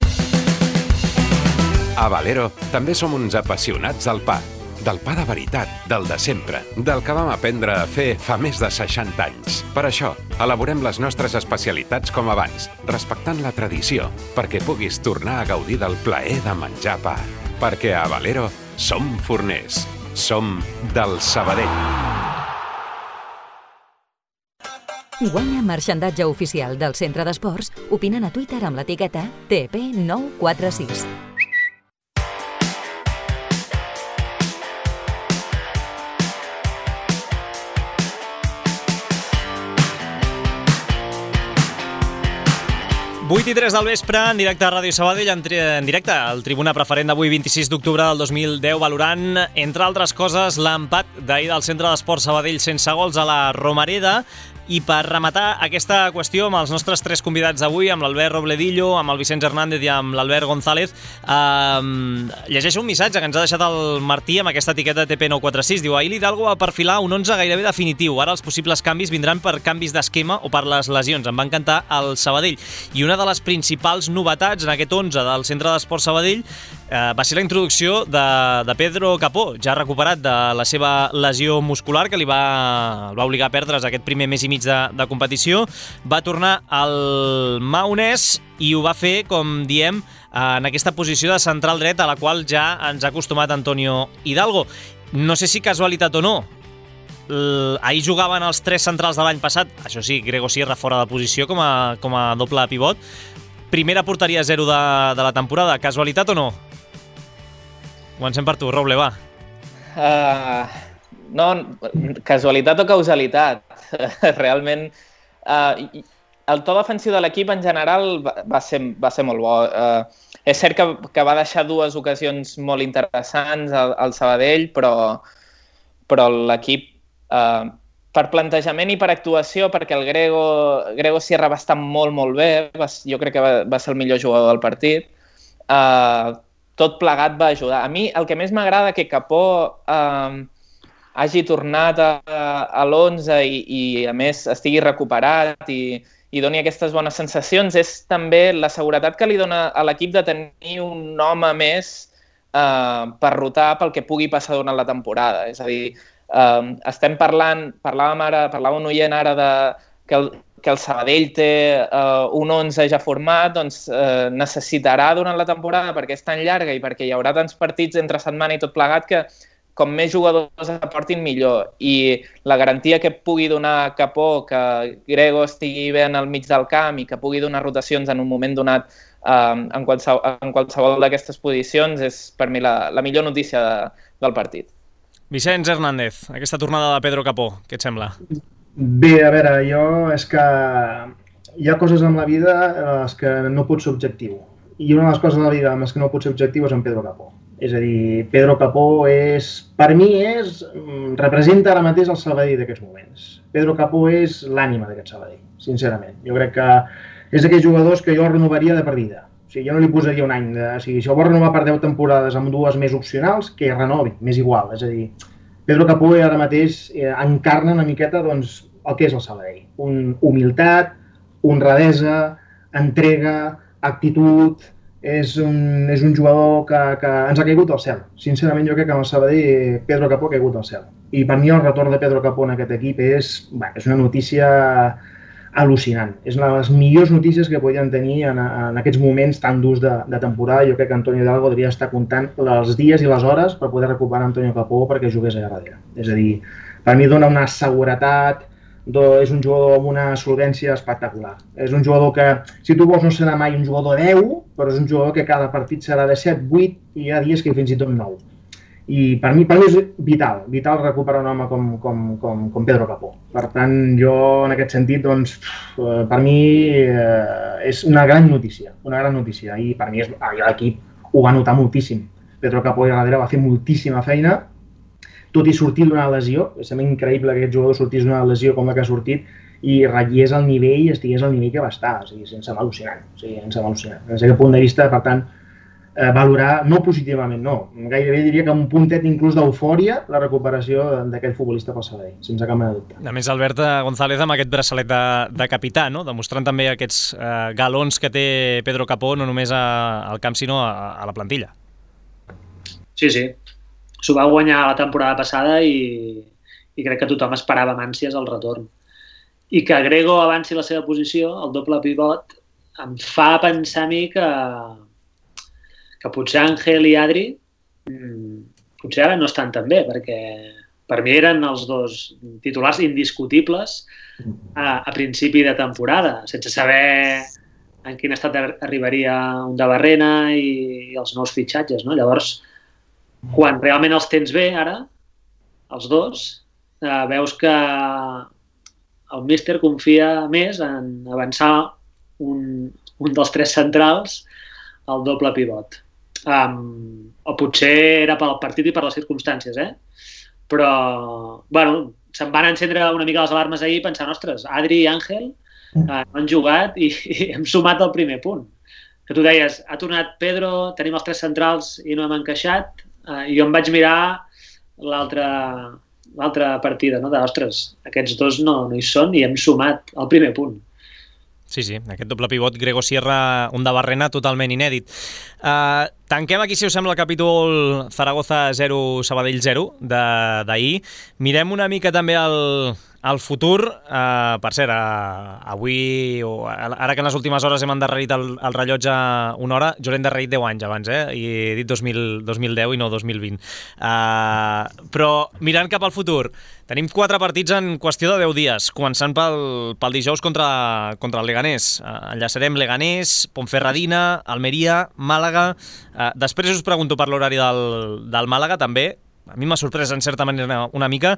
A Valero també som uns apassionats del pa. Del pa de veritat, del de sempre, del que vam aprendre a fer fa més de 60 anys. Per això, elaborem les nostres especialitats com abans, respectant la tradició, perquè puguis tornar a gaudir del plaer de menjar pa. Perquè a Valero som forners, som del Sabadell. Guanya marxandatge oficial del Centre d'Esports opinant a Twitter amb l'etiqueta TP946. Vuit i 3 del vespre, en directe a Ràdio Sabadell, en directe al Tribuna Preferent d'avui, 26 d'octubre del 2010, valorant, entre altres coses, l'empat d'ahir del Centre d'Esports Sabadell sense gols a la Romareda. I per rematar aquesta qüestió amb els nostres 3 convidats d'avui, amb l'Albert Robledillo, amb el Vicenç Hernández i amb l'Albert González, llegeixo un missatge que ens ha deixat el Martí amb aquesta etiqueta TP946. Diu, ahir l'Hidalgo va perfilar un 11 gairebé definitiu. Ara els possibles canvis vindran per canvis d'esquema o per les lesions. Em va encantar el Sabadell. I una de les principals novetats en aquest 11 del Centre d'Esports Sabadell va ser la introducció de Pedro Capó, ja recuperat de la seva lesió muscular que el va obligar a perdre's aquest primer mes i mig de competició. Va tornar al Maonès i ho va fer, com diem, en aquesta posició de central dret a la qual ja ens ha acostumat Antonio Hidalgo. No sé si casualitat o no, ahir jugaven els 3 centrals de l'any passat, això sí, Grego Sierra fora de posició com a doble pivot. Primera porteria 0 de la temporada, casualitat o no? Comencem per tu, Roble, va. No, casualitat o causalitat. Realment, el to defensiu de l'equip en general va ser molt bo. És cert que va deixar 2 ocasions molt interessants al Sabadell, però però l'equip, per plantejament i per actuació, perquè el Grego Sierra va estar molt, molt bé, jo crec que va ser el millor jugador del partit, tot plegat va ajudar. A mi el que més m'agrada que Capó hagi tornat a l'11 i a més estigui recuperat i doni aquestes bones sensacions és també la seguretat que li dona a l'equip de tenir un home més per rotar pel que pugui passar durant la temporada. És a dir, estem parlava un oient ara que el Sabadell té un 11 ja format, doncs necessitarà durant la temporada, perquè és tan llarga i perquè hi haurà tants partits entre setmana i tot plegat, que com més jugadors aportin millor. I la garantia que pugui donar Capó, que Grego estigui bé en el mig del camp i que pugui donar rotacions en un moment donat en qualsevol d'aquestes posicions és per mi la millor notícia del partit. Vicenç Hernández, aquesta tornada de Pedro Capó, què et sembla? Bé, a veure, és que hi ha coses en la vida en les que no pots ser objectiu. I una de les coses de la vida en les que no pots ser objectiu és en Pedro Capó. És a dir, Pedro Capó per mi representa ara mateix el Sabadell d'aquests moments. Pedro Capó és l'ànima d'aquest Sabadell, sincerament. Jo crec que és d'aquells jugadors que jo renovaria de per vida. O sigui, jo no li posaria un any. Si el vol renovar per 10 temporades amb 2 més opcionals, que renovi, m'és igual. És a dir, Pedro Capó ara mateix encarna una miqueta el que és el Sabadell. Humilitat, honradesa, entrega, actitud. És un jugador que ens ha caigut del cel. Sincerament, jo crec que amb el Sabadell Pedro Capó ha caigut del cel. I per mi el retorn de Pedro Capó en aquest equip és una notícia al·lucinant. És una de les millors notícies que podien tenir en aquests moments tan durs de temporada. Jo crec que Antonio Hidalgo devia estar comptant els dies i les hores per poder recuperar Antonio Capó perquè jugués allà darrere. És a dir, per mi dona una seguretat, és un jugador amb una solvència espectacular. És un jugador que, si tu vols, no serà mai un jugador 10, però és un jugador que cada partit serà de 7, 8 i hi ha dies que fins i tot 9. I per mi és vital recuperar un home com Pedro Capó. Per tant, jo en aquest sentit, doncs, per mi és una gran notícia. I per mi l'equip ho va notar moltíssim. Pedro Capó allà darrere va fer moltíssima feina, tot i sortir d'una lesió. Sembla increïble que aquest jugador sortís d'una lesió com la que ha sortit i ratllés al nivell, estigués al nivell que va estar. O sigui, sense mal·lucinant. Des d'aquest punt de vista, per tant, valorar, no positivament, no. Gairebé diria que un puntet inclús d'eufòria la recuperació d'aquest futbolista pel Sabadell, sense cap mena de dubte. A més, Albert González amb aquest braçalet de capità, no? Demostrant també aquests galons que té Pedro Capó, no només al camp, sinó a la plantilla. Sí. S'ho va guanyar la temporada passada i crec que tothom esperava amb ànsies el retorn. I que Grego avanci la seva posició, el doble pivot, em fa pensar a mi que potser Ángel i Adri potser ara no estan tan bé, perquè per mi eren els dos titulars indiscutibles a principi de temporada, sense saber en quin estat arribaria un de Barrena i els nous fitxatges, no? Llavors, quan realment els tens bé ara, els dos, veus que el míster confia més en avançar un dels 3 centrals al doble pivot. O potser era pel partit i per les circumstàncies, però bueno, se'm van encendre una mica les alarmes ahir pensant, ostres, Adri i Ángel han jugat i hem sumat el primer punt. Que tu deies, ha tornat Pedro, tenim els 3 centrals i no hem encaixat, i jo em vaig mirar l'altra partida, no? Ostres, aquests dos no hi són i hem sumat el primer punt. Sí, aquest doble pivot Grego Sierra, un de Barrena totalment inèdit. Tanquem aquí, si us sembla, el capítol Zaragoza 0, Sabadell 0 d'ahir. Mirem una mica també al futur. Per cert, avui, ara que en les últimes hores hem endarrerit el rellotge una hora, jo l'he endarrerit 10 anys abans, i he dit 2010 i no 2020. Però mirant cap al futur, tenim 4 partits en qüestió de 10 dies, començant pel dijous contra el Leganés. Enllaçarem Leganés, Ponferradina, Almeria, Màlaga. Després us pregunto per l'horari del Màlaga, també. A mi m'ha sorprès en certa manera una mica,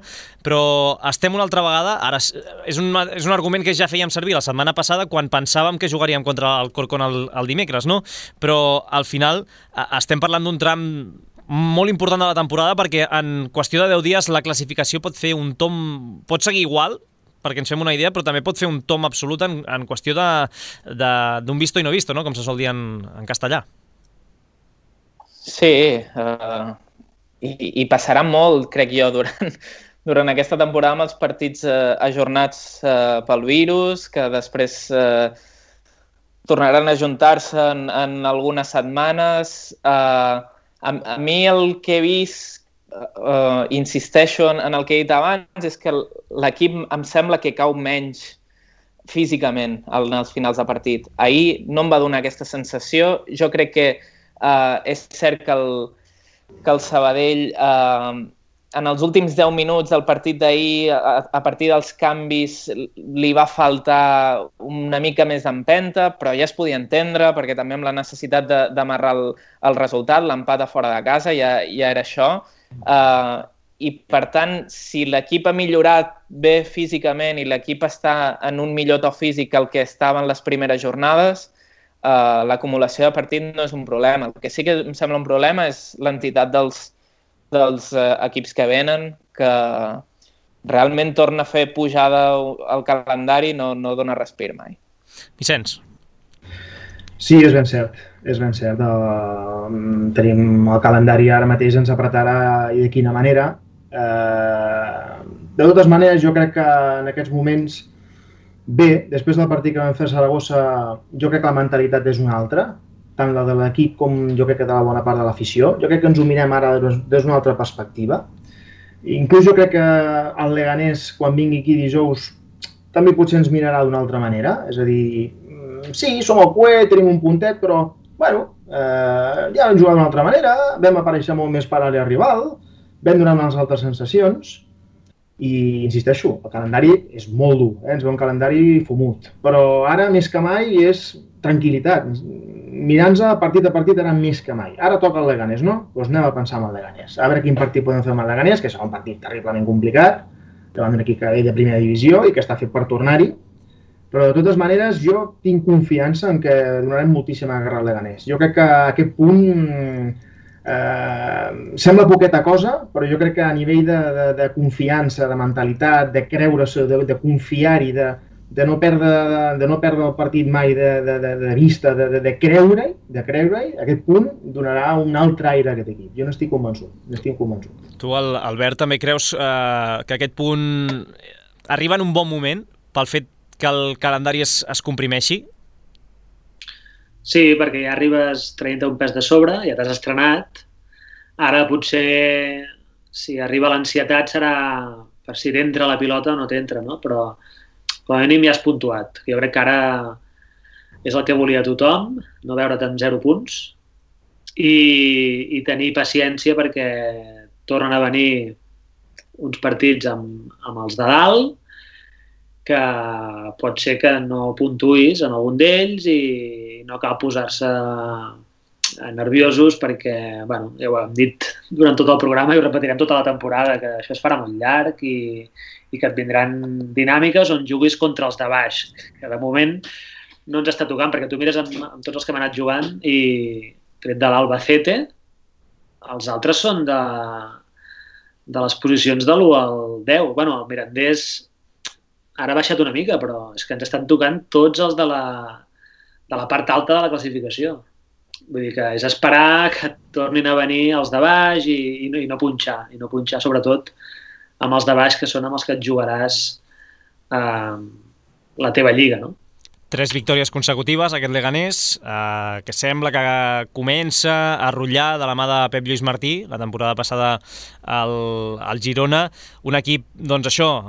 però estem una altra vegada. Ara és un argument que ja fèiem servir la setmana passada quan pensàvem que jugaríem contra el Corcón el dimecres, no? Però al final estem parlant d'un tram molt important de la temporada perquè en qüestió de 10 dies la classificació pot fer un tomb, pot seguir igual, perquè ens fem una idea, però també pot fer un tomb absolut en qüestió d'un visto i no visto, no? Com se sol dir en castellà. Sí, i passarà molt, crec jo, durant aquesta temporada amb els partits ajornats pel virus, que després tornaran a ajuntar-se en algunes setmanes. A mi el que he vist, insisteixo en el que he dit abans, és que l'equip em sembla que cau menys físicament en els finals de partit. Ahir no em va donar aquesta sensació. Jo crec que és cert que el Sabadell en els últims 10 minuts del partit d'ahir, a partir dels canvis, li va faltar una mica més d'empenta, però ja es podia entendre, perquè també amb la necessitat d'amarrar el resultat, l'empat a fora de casa, ja era això. I, per tant, si l'equip ha millorat bé físicament i l'equip està en un millor to físic que el que estava en les primeres jornades, l'acumulació de partit no és un problema. El que sí que em sembla un problema és l'entitat dels equips que venen, que realment torna a fer pujada al calendari, no dona respir mai. Vicenç. Sí, és ben cert. És ben cert. Tenim el calendari ara mateix, ens apretarà i de quina manera. De totes maneres, jo crec que en aquests moments, bé, després del partit que vam fer a Saragossa, jo crec que la mentalitat és una altra, tant la de l'equip com jo crec que de la bona part de l'afició. Jo crec que ens ho mirem ara des d'una altra perspectiva. Inclús jo crec que el Leganés, quan vingui aquí dijous, també potser ens mirarà d'una altra manera. És a dir, sí, som al cué, tenim un puntet, però, bueno, ja vam jugar d'una altra manera, vam aparèixer molt més per a l'àrea rival, vam donar unes altres sensacions, i insisteixo, el calendari és molt dur, ens ve un calendari fumut, però ara més que mai és tranquil·litat. Mirant-nos partit a partit ara més que mai. Ara toca el Leganés, no? Doncs anem a pensar en el Leganés. A veure quin partit podem fer amb el Leganés, que serà un partit terriblement complicat, davant d'un equip que ve de primera divisió i que està fet per tornar-hi. Però de totes maneres jo tinc confiança en que donarem moltíssima guerra al Leganés. Jo crec que a aquest punt sembla poqueta cosa, però jo crec que a nivell de confiança, de mentalitat, de creure-se, de confiar-hi, de no perdre el partit mai de vista, de creure-hi, aquest punt donarà un altre aire a aquest equip. Jo n'estic convençut. Tu, Albert, també creus que aquest punt arriba en un bon moment pel fet que el calendari es comprimeixi? Sí, perquè ja arribes traient un pes de sobre, ja t'has estrenat. Ara potser, si arriba l'ansietat, serà per si t'entra la pilota o no t'entra, no? Però com a mínim ja has puntuat. Jo crec que ara és el que volia tothom, no veure't amb 0 punts i tenir paciència perquè tornen a venir uns partits amb els de dalt que pot ser que no puntuïs en algun d'ells i no cal posar-se nerviosos perquè, bueno, ja ho hem dit durant tot el programa i ho repetirem tota la temporada, que això es farà molt llarg i que et vindran dinàmiques on juguis contra els de baix, que de moment no ens està tocant, perquè tu mires amb tots els que hem anat jugant i tret de l'Albacete, els altres són de les posicions de l'1 al 10. Bueno, el Mirandés ara ha baixat una mica, però és que ens estan tocant tots els de la part alta de la classificació. Vull dir que és esperar que tornin a venir els de baix i no punxar, sobretot amb els de baix, que són amb els que et jugaràs la teva lliga, no? 3 victòries consecutives, aquest Leganés, que sembla que comença a rotllar de la mà de Pep Lluís Martí, la temporada passada al Girona. Un equip, doncs això,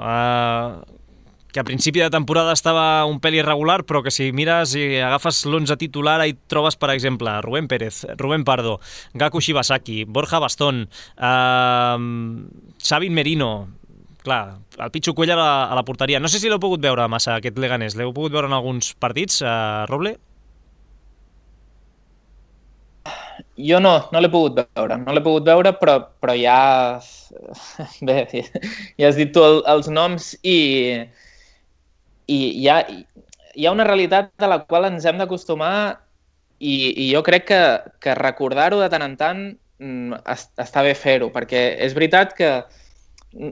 que a principi de temporada estava un pèl irregular, però que si mires i agafes l'11 titular, hi trobes, per exemple, Rubén Pérez, Rubén Pardo, Gaku Shibasaki, Borja Bastón, Xavi Merino, clar, el Pichu Cuellar a la porteria. No sé si l'heu pogut veure massa, aquest Leganés. L'heu pogut veure en alguns partits, Roble? Jo no l'he pogut veure, però ja... Bé, ja has dit tu els noms i hi ha una realitat a la qual ens hem d'acostumar i jo crec que recordar-ho de tant en tant està bé fer-ho, perquè és veritat que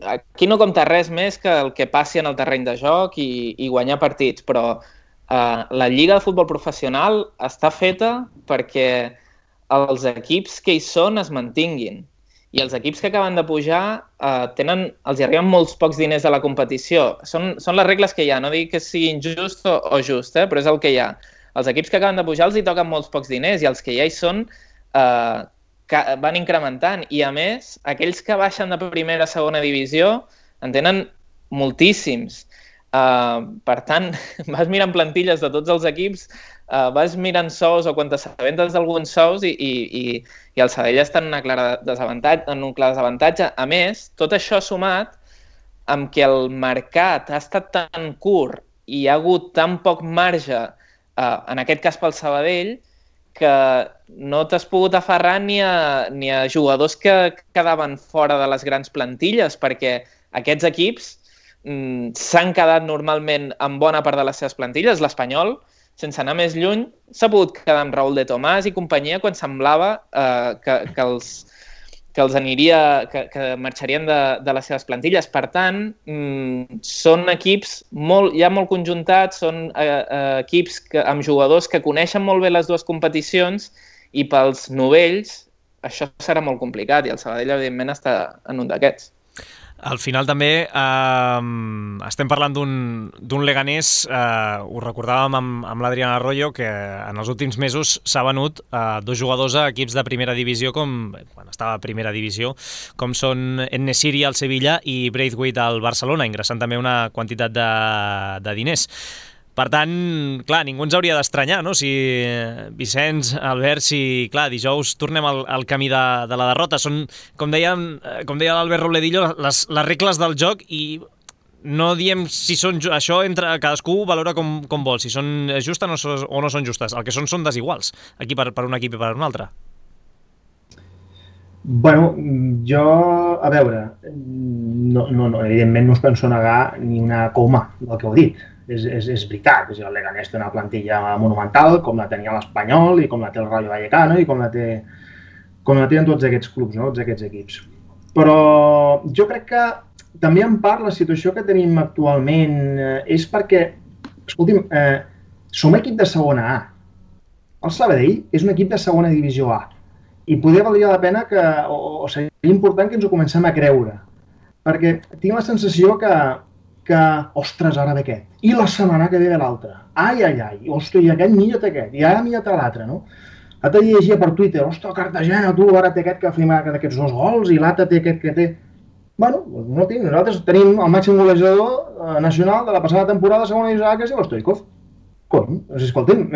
aquí no compta res més que el que passi en el terreny de joc i guanyar partits, però la Lliga de Futbol Professional està feta perquè els equips que hi són es mantinguin. I els equips que acaben de pujar els hi arriben molts pocs diners a la competició. Són les regles que hi ha, no dic que sigui injust o just, però és el que hi ha. Els equips que acaben de pujar els hi toquen molts pocs diners i els que ja hi són van incrementant. I a més, aquells que baixen de primera a segona divisió en tenen moltíssims. Per tant, vas mirant plantilles de tots els equips, vas mirant sous o quan t'assabentes d'alguns sous i el Sabadell està en un clar desavantatge. A més, tot això sumat amb que el mercat ha estat tan curt i hi ha hagut tan poc marge, en aquest cas pel Sabadell, que no t'has pogut aferrar ni a jugadors que quedaven fora de les grans plantilles, perquè aquests equips s'han quedat normalment amb bona part de les seves plantilles. L'Espanyol, sense anar més lluny, s'ha pogut quedar amb Raúl de Tomàs i companyia quan semblava que marxarien de les seves plantilles. Per tant, són equips ja molt conjuntats, són equips amb jugadors que coneixen molt bé les dues competicions i pels novells això serà molt complicat i el Sabadell, evidentment, està en un d'aquests. Al final també estem parlant d'un Leganés, ho recordàvem amb l'Adrián Arroyo, que en els últims mesos s'ha venut dos jugadors a equips de primera divisió, quan estava a primera divisió, com són En-Nesyri al Sevilla i Braithwaite al Barcelona, ingressant també una quantitat de diners. Per tant, clar, ningú ens hauria d'estranyar, no? Si Vicenç, Albert, clar, dijous tornem al camí de la derrota. Són, com deia l'Albert Robledillo, les regles del joc i no diem si són això, entre cadascú valora com vol, si són justes o no són justes. El que són desiguals, aquí per un equip i per un altre. Bueno, jo, a veure, no, evidentment no us penso negar ni una coma del que heu dit. És veritat, el Leganés té una plantilla monumental, com la tenia l'Espanyol i com la té el Rayo Vallecano i com la tenen tots aquests clubs, no? Tots aquests equips. Però jo crec que també en part la situació que tenim actualment és perquè, escolti'm, som equip de segona A. El Sabadell és un equip de segona divisió A i poder valdria la pena o seria important que ens ho comencem a creure, perquè tinc la sensació que ostres, ara ve aquest, i la setmana que ve l'altre, ai, ostres, i aquest millor té aquest, i ara millor té l'altre, no? L'altre llegia per Twitter, ostres, Cartagena, tu, ara té aquest que ha fet aquests 2 gols, i l'altre té aquest que té... Bueno, no tinc, nosaltres tenim el màxim golejador nacional de la passada temporada de segona divisió A, que és el Stoichkov. Cony, escolta'm,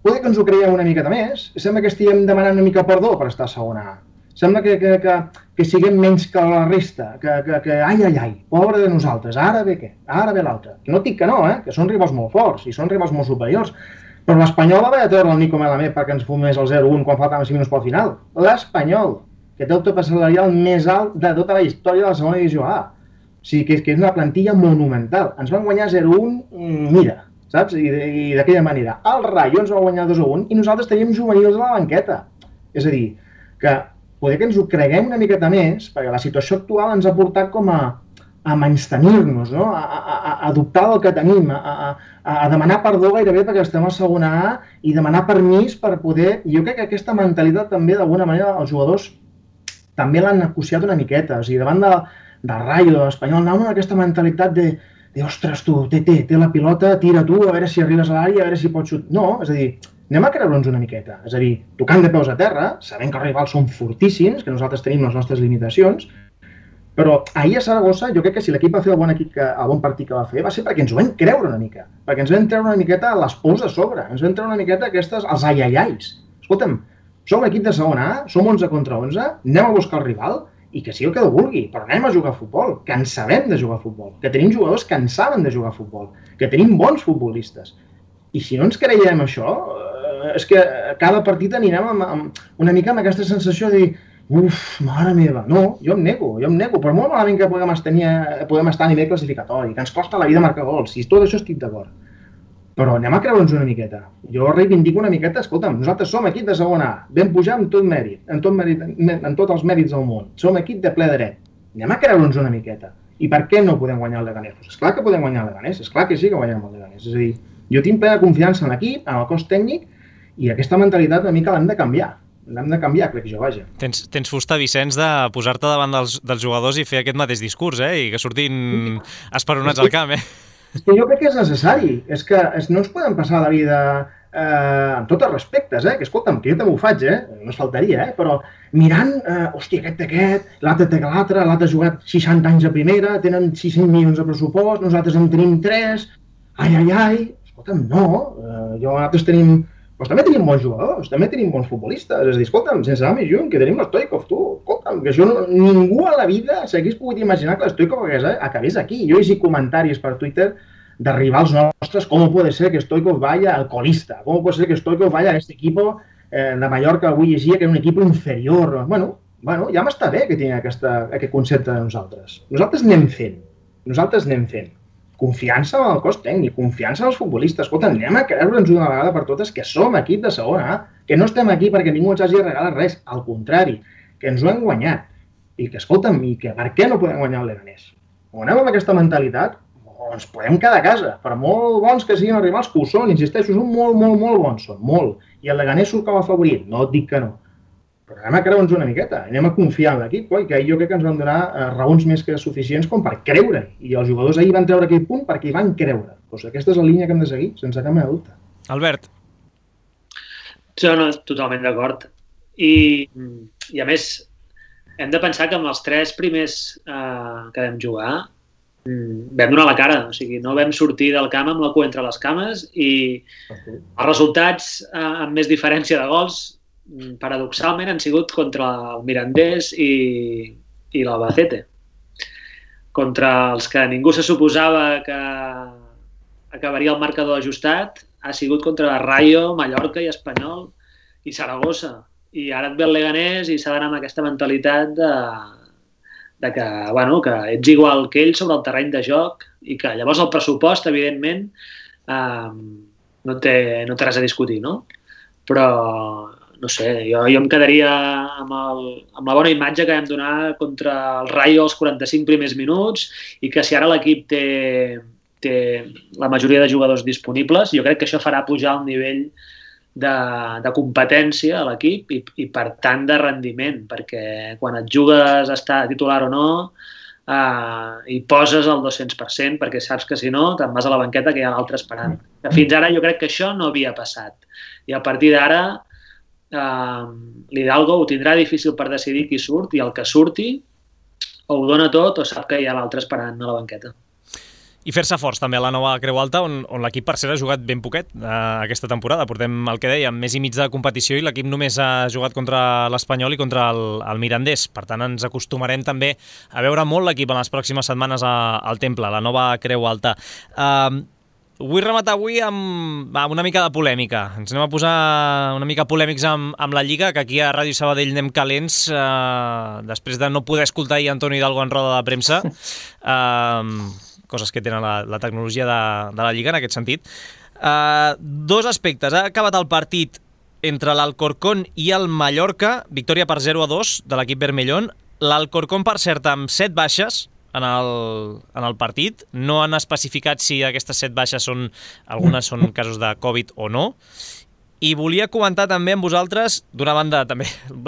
poder que ens ho creiem una miqueta més, sembla que estiguem demanant una mica perdó per estar a segona A. Sembla que siguem menys que la resta, que ai, pobre de nosaltres, ara ve què? Ara ve l'altre. No dic que no, que són rivals molt forts i són rivals molt superiors, però l'Espanyol va haver de treure el Nico Melamed perquè ens fumés el 0-1 quan faltaven 5 minuts pel final. L'Espanyol, que té el tope salarial més alt de tota la història de la segona divisió A. O sigui, que és una plantilla monumental. Ens van guanyar 0-1, mira, saps? I d'aquella manera. El Rayo ens va guanyar 2-1 i nosaltres teníem juvenils a la banqueta. És a dir, que poder que ens ho creguem una miqueta més, perquè la situació actual ens ha portat com a menystenir-nos, no? A dubtar del que tenim, a demanar perdó gairebé perquè estem a segona A i demanar permís per poder... Jo crec que aquesta mentalitat també, d'alguna manera, els jugadors també l'han negociat una miqueta. O sigui, davant del Rayo, de l'Espanyol, anaven amb aquesta mentalitat de ostres, tu, té la pilota, tira tu, a veure si arribes a l'àrea, a veure si pots xutar. No, és a dir, anem a creure'ns una miqueta. És a dir, tocant de peus a terra, sabent que els rivals són fortíssims, que nosaltres tenim les nostres limitacions, però ahir a Saragossa jo crec que si l'equip va fer el bon partit que va fer va ser perquè ens ho vam creure una mica, perquè ens vam treure una miqueta les pous de sobre, ens vam treure una miqueta els ai-ai-ais. Escolta'm, som un equip de segona A, som 11 contra 11, anem a buscar el rival i que sigui el que vulgui, però anem a jugar a futbol, que en sabem de jugar a futbol, que tenim jugadors que en saben de jugar a futbol, que tenim bons futbolistes. I si no ens creiem això, és que cada partit anirem amb una mica amb aquesta sensació de dir uf, mare meva, no, jo em nego, per molt malament que podem estar a nivell classificatori, que ens costa la vida marcar gols, i tot això estic d'acord. Però anem a creure'ns una miqueta. Jo reivindico una miqueta, escolta'm, nosaltres som equip de segona A, vam pujar amb tot mèrit, en tots els mèrits del món. Som equip de ple dret. Anem a creure'ns una miqueta. I per què no podem guanyar el Leganés? Pues esclar que podem guanyar el Leganés, esclar que sí que guanyem el Leganés. És a dir, jo tinc plena confiança en l'equip, en el cos tècnic, i aquesta mentalitat una mica l'hem de canviar. L'hem de canviar, crec jo, vaja. Tens fusta, Vicenç, de posar-te davant dels jugadors i fer aquest mateix discurs, i que surtin esperonats al camp, És que jo crec que és necessari. És que no ens podem passar la vida amb tots els respectes, que escolta'm, que jo també ho faig, no es faltaria, però mirant, hòstia, aquest, l'altre té que l'altre ha jugat 60 anys a primera, tenen 600 milions de pressupost, nosaltres en tenim 3, ai, escolta'm, no, nosaltres tenim... Doncs també tenim bons jugadors, també tenim bons futbolistes. És a dir, escolta'm, sense anar més lluny, que tenim l'Stoikov, tu. Escolta'm, que això ningú a la vida s'hagués pogut imaginar que l'Stoikov acabés aquí. Jo he llegit comentaris per Twitter de rivals nostres, com puede ser que Stoikov vaya al colista, com puede ser que Stoikov vaya a este equipo de Mallorca, avui llegia que era un equip inferior. Bueno, ja m'està bé que tingui aquest concepte de nosaltres. Nosaltres anem fent. Confiança en el cos tècnic, confiança en els futbolistes. Escolta, anem a creure'ns una vegada per totes que som equip de segona A, que no estem aquí perquè ningú ens hagi regalat res, al contrari, que ens ho hem guanyat. I que, escolta'm, per què no podem guanyar el Leganés? O anem amb aquesta mentalitat o ens podem quedar a casa. Per molt bons que siguin els rivals, que ho són, insisteixo, són molt bons, són molt. I el Leganés surt com a favorit, no et dic que no. Però anem a creure'ns una miqueta, anem a confiar en l'equip, que jo crec que ens van donar raons més que suficients com per creure. I els jugadors ahir van treure aquell punt perquè hi van creure. Doncs aquesta és la línia que hem de seguir, sense cap mena de dubte. Albert. Sí, no, totalment d'acord. I a més, hem de pensar que amb els 3 primers que vam jugar vam donar la cara, o sigui, no vam sortir del camp amb la cua entre les cames i els resultats amb més diferència de gols paradoxalment han sigut contra el Mirandés i l'Albacete. Contra els que ningú se suposava que acabaria el marcador ajustat, ha sigut contra Rayo, Mallorca i Espanyol i Saragossa. I ara et ve el Leganés i s'ha d'anar amb aquesta mentalitat de que ets igual que ell sobre el terreny de joc i que llavors el pressupost, evidentment, no té res a discutir, no? Però no sé, jo em quedaria amb la bona imatge que vam donar contra el Rayo els 45 primers minuts i que si ara l'equip té la majoria de jugadors disponibles, jo crec que això farà pujar el nivell de competència a l'equip i per tant de rendiment, perquè quan et jugues a estar titular o no hi poses el 200% perquè saps que si no te'n vas a la banqueta que hi ha l'altre esperant. Fins ara jo crec que això no havia passat i a partir d'ara l'Hidalgo ho tindrà difícil per decidir qui surt i el que surti o ho dona tot o sap que hi ha l'altre esperant a la banqueta. I fer-se forts també a la nova Creu Alta on l'equip per ser ha jugat ben poquet aquesta temporada. Portem el que dèiem, mes i mig de competició i l'equip només ha jugat contra l'Espanyol i contra el Mirandés. Per tant, ens acostumarem també a veure molt l'equip en les pròximes setmanes al Temple, la nova Creu Alta. Vull rematar avui amb una mica de polèmica. Ens anem a posar una mica polèmics amb la Lliga, que aquí a Ràdio Sabadell anem calents després de no poder escoltar ahir Antonio Hidalgo en roda de premsa. Coses que tenen la tecnologia de la Lliga en aquest sentit. 2 aspectes. Ha acabat el partit entre l'Alcorcón i el Mallorca, victòria per 0-2 de l'equip Vermellón. L'Alcorcón, per cert, amb 7 baixes en el partit. No han especificat si aquestes 7 baixes algunes són casos de Covid o no. I volia comentar també amb vosaltres, d'una banda també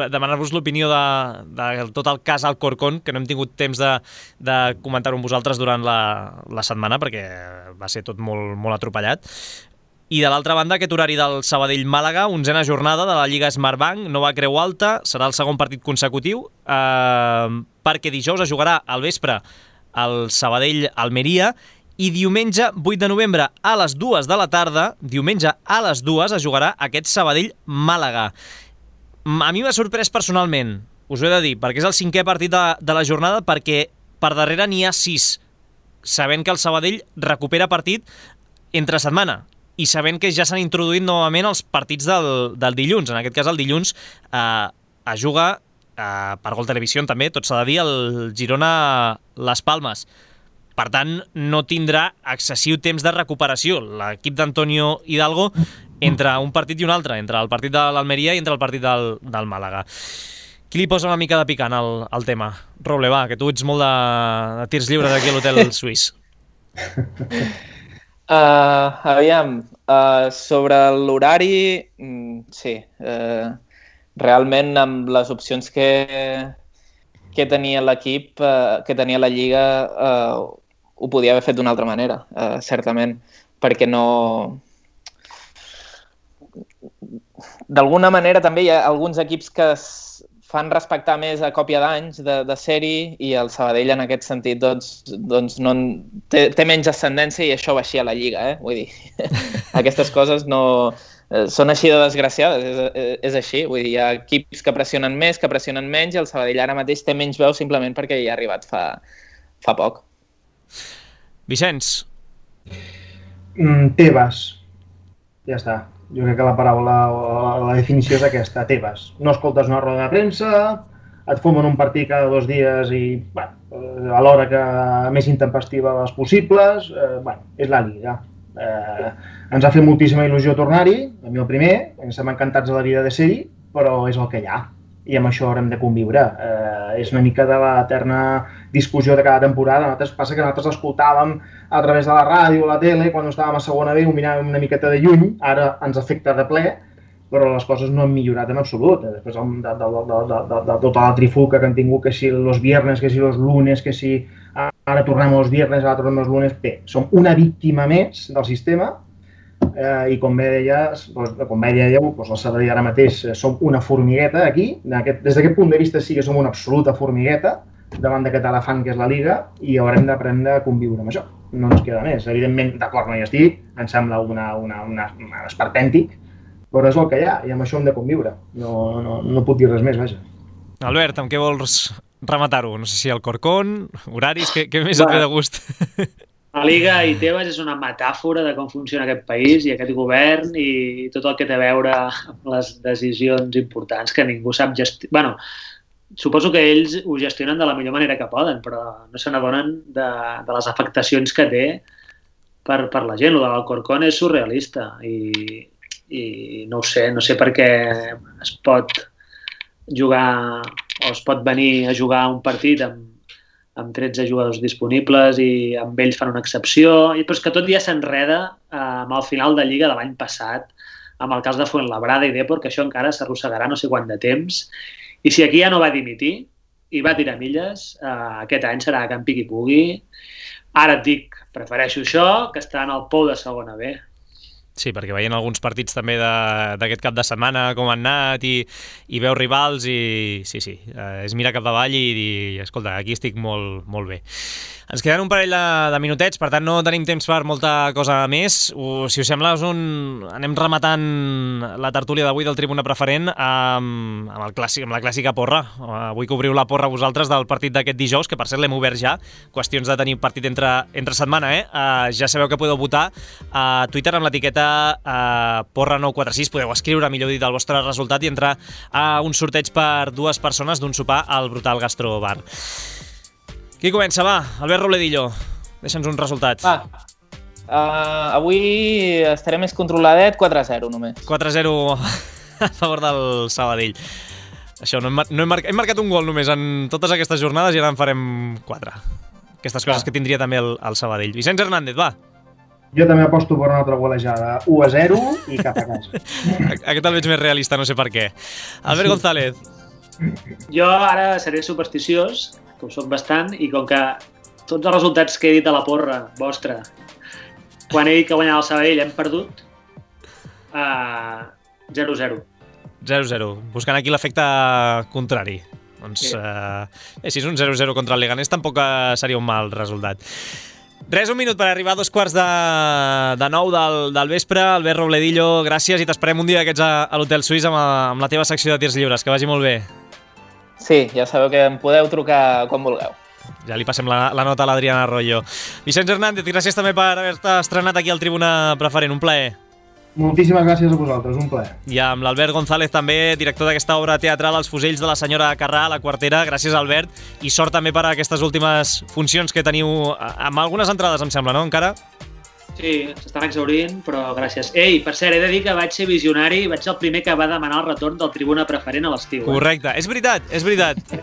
demanar-vos l'opinió de tot el cas Alcorcón, que no hem tingut temps de comentar-ho amb vosaltres durant la setmana perquè va ser tot molt, molt atropellat. I de l'altra banda, aquest horari del Sabadell-Màlaga, 11a jornada de la Lliga Smartbank, nova Creu Alta, serà el segon partit consecutiu, perquè dijous es jugarà al vespre el Sabadell-Almeria i diumenge 8 de novembre a les 2 de la tarda, diumenge a les 2 es jugarà aquest Sabadell-Màlaga. A mi m'ha sorprès personalment, us ho he de dir, perquè és el 5è partit de la jornada, perquè per darrere n'hi ha 6, sabent que el Sabadell recupera partit entre setmana i sabent que ja s'han introduït novament els partits del dilluns. En aquest cas, el dilluns es juga per Gol Televisió també, tot s'ha de dir, el Girona-Las Palmes. Per tant, no tindrà excessiu temps de recuperació l'equip d'Antonio Hidalgo entre un partit i un altre, entre el partit de l'Almeria i entre el partit del Màlaga. Qui li posa una mica de picant al tema? Roble, va, que tu ets molt de tirs lliures aquí a l'hotel suís. Aviam, sobre l'horari, sí. Realment, amb les opcions que tenia l'equip, que tenia la Lliga, ho podia haver fet d'una altra manera, certament, perquè no... D'alguna manera també hi ha alguns equips que fan respectar més a còpia d'anys de sèrie i el Sabadell en aquest sentit doncs no té menys ascendència i això va així a la Lliga, vull dir, aquestes coses no són així de desgraciades, és així, vull dir, hi ha equips que pressionen més, que pressionen menys i el Sabadell ara mateix té menys veu simplement perquè hi ha arribat fa poc. Vicenç? Tebas, ja està. Jo crec que la paraula, la definició és aquesta, Tebas. No escoltes una roda de premsa, et fumen un partit cada 2 dies i, bueno, a l'hora que més intempestiva les possibles, bueno, és la Lliga. Ens ha fet moltíssima il·lusió tornar-hi, a mi el primer, ens estem encantats de la vida de ser-hi, però és el que hi ha i amb això haurem de conviure. És una mica de l'eterna discussió de cada temporada. Passa que nosaltres l'escoltàvem a través de la ràdio o la tele, quan estàvem a segona B ho miràvem una miqueta de lluny, ara ens afecta de ple, però les coses no han millorat en absolut. Després de tota la trifuca que han tingut, que si els viernes, que si els lunes, que si ara tornem els viernes, ara tornem els lunes, bé, som una víctima més del sistema i com bé deieu, el Sabadell ara mateix som una formigueta aquí, des d'aquest punt de vista sí que som una absoluta formigueta davant d'aquest elefant que és la Lliga i haurem d'aprendre a conviure amb això. No ens queda més. Evidentment, d'acord, no hi estic, em sembla un esperpèntic, però és el que hi ha i amb això hem de conviure. No puc dir res més, vaja. Albert, amb què vols rematar-ho? No sé si el Corcón, horaris, què més et ve de gust? La Liga i Tebas és una metàfora de com funciona aquest país i aquest govern i tot el que té a veure amb les decisions importants que ningú sap gestionar. Bueno, suposo que ells ho gestionen de la millor manera que poden, però no se n'adonen de les afectacions que té per la gent. Lo de l'Alcorcón és surrealista i no ho sé per què es pot jugar o es pot venir a jugar un partit amb 13 jugadors disponibles i amb ells fan una excepció, però és que tot ja s'enreda amb el final de Lliga de l'any passat, amb el cas de Fuenlabrada i Depor, que això encara s'arrossegarà no sé quant de temps, i si aquí ja no va dimitir i va tirar milles, aquest any serà que en piqui pugui. Ara et dic, prefereixo això que estar en el pou de segona B. Sí, perquè veient alguns partits també d'aquest cap de setmana com han anat i veus rivals i sí, és mirar cap avall i dir, escolta, aquí estic molt bé. Ens queden un parell de minutets, per tant no tenim temps per molta cosa més. Si us sembla, anem rematant la tertúlia d'avui del Tribuna Preferent amb la clàssica porra. Avui que obriu la porra vosaltres del partit d'aquest dijous, que per cert l'hem obert ja, qüestions de tenir partit entre setmana, ja sabeu que podeu votar a Twitter amb l'etiqueta porra946, podeu escriure, millor dit, el vostre resultat i entrar a un sorteig per 2 persones d'un sopar al Brutal Gastro Bar. Qui comença, va? Albert Robledillo, deixa'ns uns resultats. Avui estaré més controladet, 4-0 només. 4-0 a favor del Sabadell. Això, hem marcat un gol només en totes aquestes jornades i ara en farem 4. Aquestes coses que tindria també el Sabadell. Vicenç Hernández, va. Jo també aposto per una altra golejada. 1-0 i cap a casa. Aquest el veig més realista, no sé per què. Albert González. Jo ara seré supersticiós, que ho soc bastant, i com que tots els resultats que he dit a la porra vostra, quan he dit que guanyava el Sabadell hem perdut, 0-0. 0-0, buscant aquí l'efecte contrari. Doncs, si és un 0-0 contra el Leganés tampoc seria un mal resultat. Res, un minut per arribar a 8:45 del vespre. Albert Robledillo, gràcies i t'esperem un dia d'aquests a l'Hotel Suís amb la teva secció de tirs lliures. Que vagi molt bé. Sí, ja sabeu que em podeu trucar quan vulgueu. Ja li passem la nota a l'Adriana Arroyo. Vicenç Hernández, gràcies també per haver-te estrenat aquí al Tribuna Preferent. Un plaer. Moltíssimes gràcies a vosaltres, un plaer. I amb l'Albert González també, director d'aquesta obra teatral Els fusells de la senyora Carrà, a la Quartera. Gràcies, Albert, i sort també per a aquestes últimes funcions que teniu, amb algunes entrades, em sembla, no, encara? Sí, s'estan exhaurint, però gràcies. Ei, per cert, he de dir que vaig ser visionari, vaig ser el primer que va demanar el retorn del Tribuna Preferent a l'estiu. Correcte, és veritat.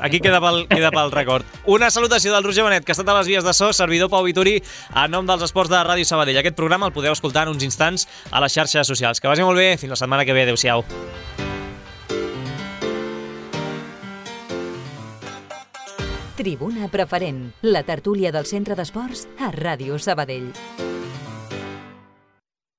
Aquí queda pel record. Una salutació del Roger Benet, que ha estat a les vies de so, servidor Pau Vituri, en nom dels esports de Ràdio Sabadell. Aquest programa el podeu escoltar en uns instants a les xarxes socials. Que vagi molt bé, fins la setmana que ve. Adéu-siau. Tribuna Preferent, la tertúlia del Centre d'Esports a Ràdio Sabadell.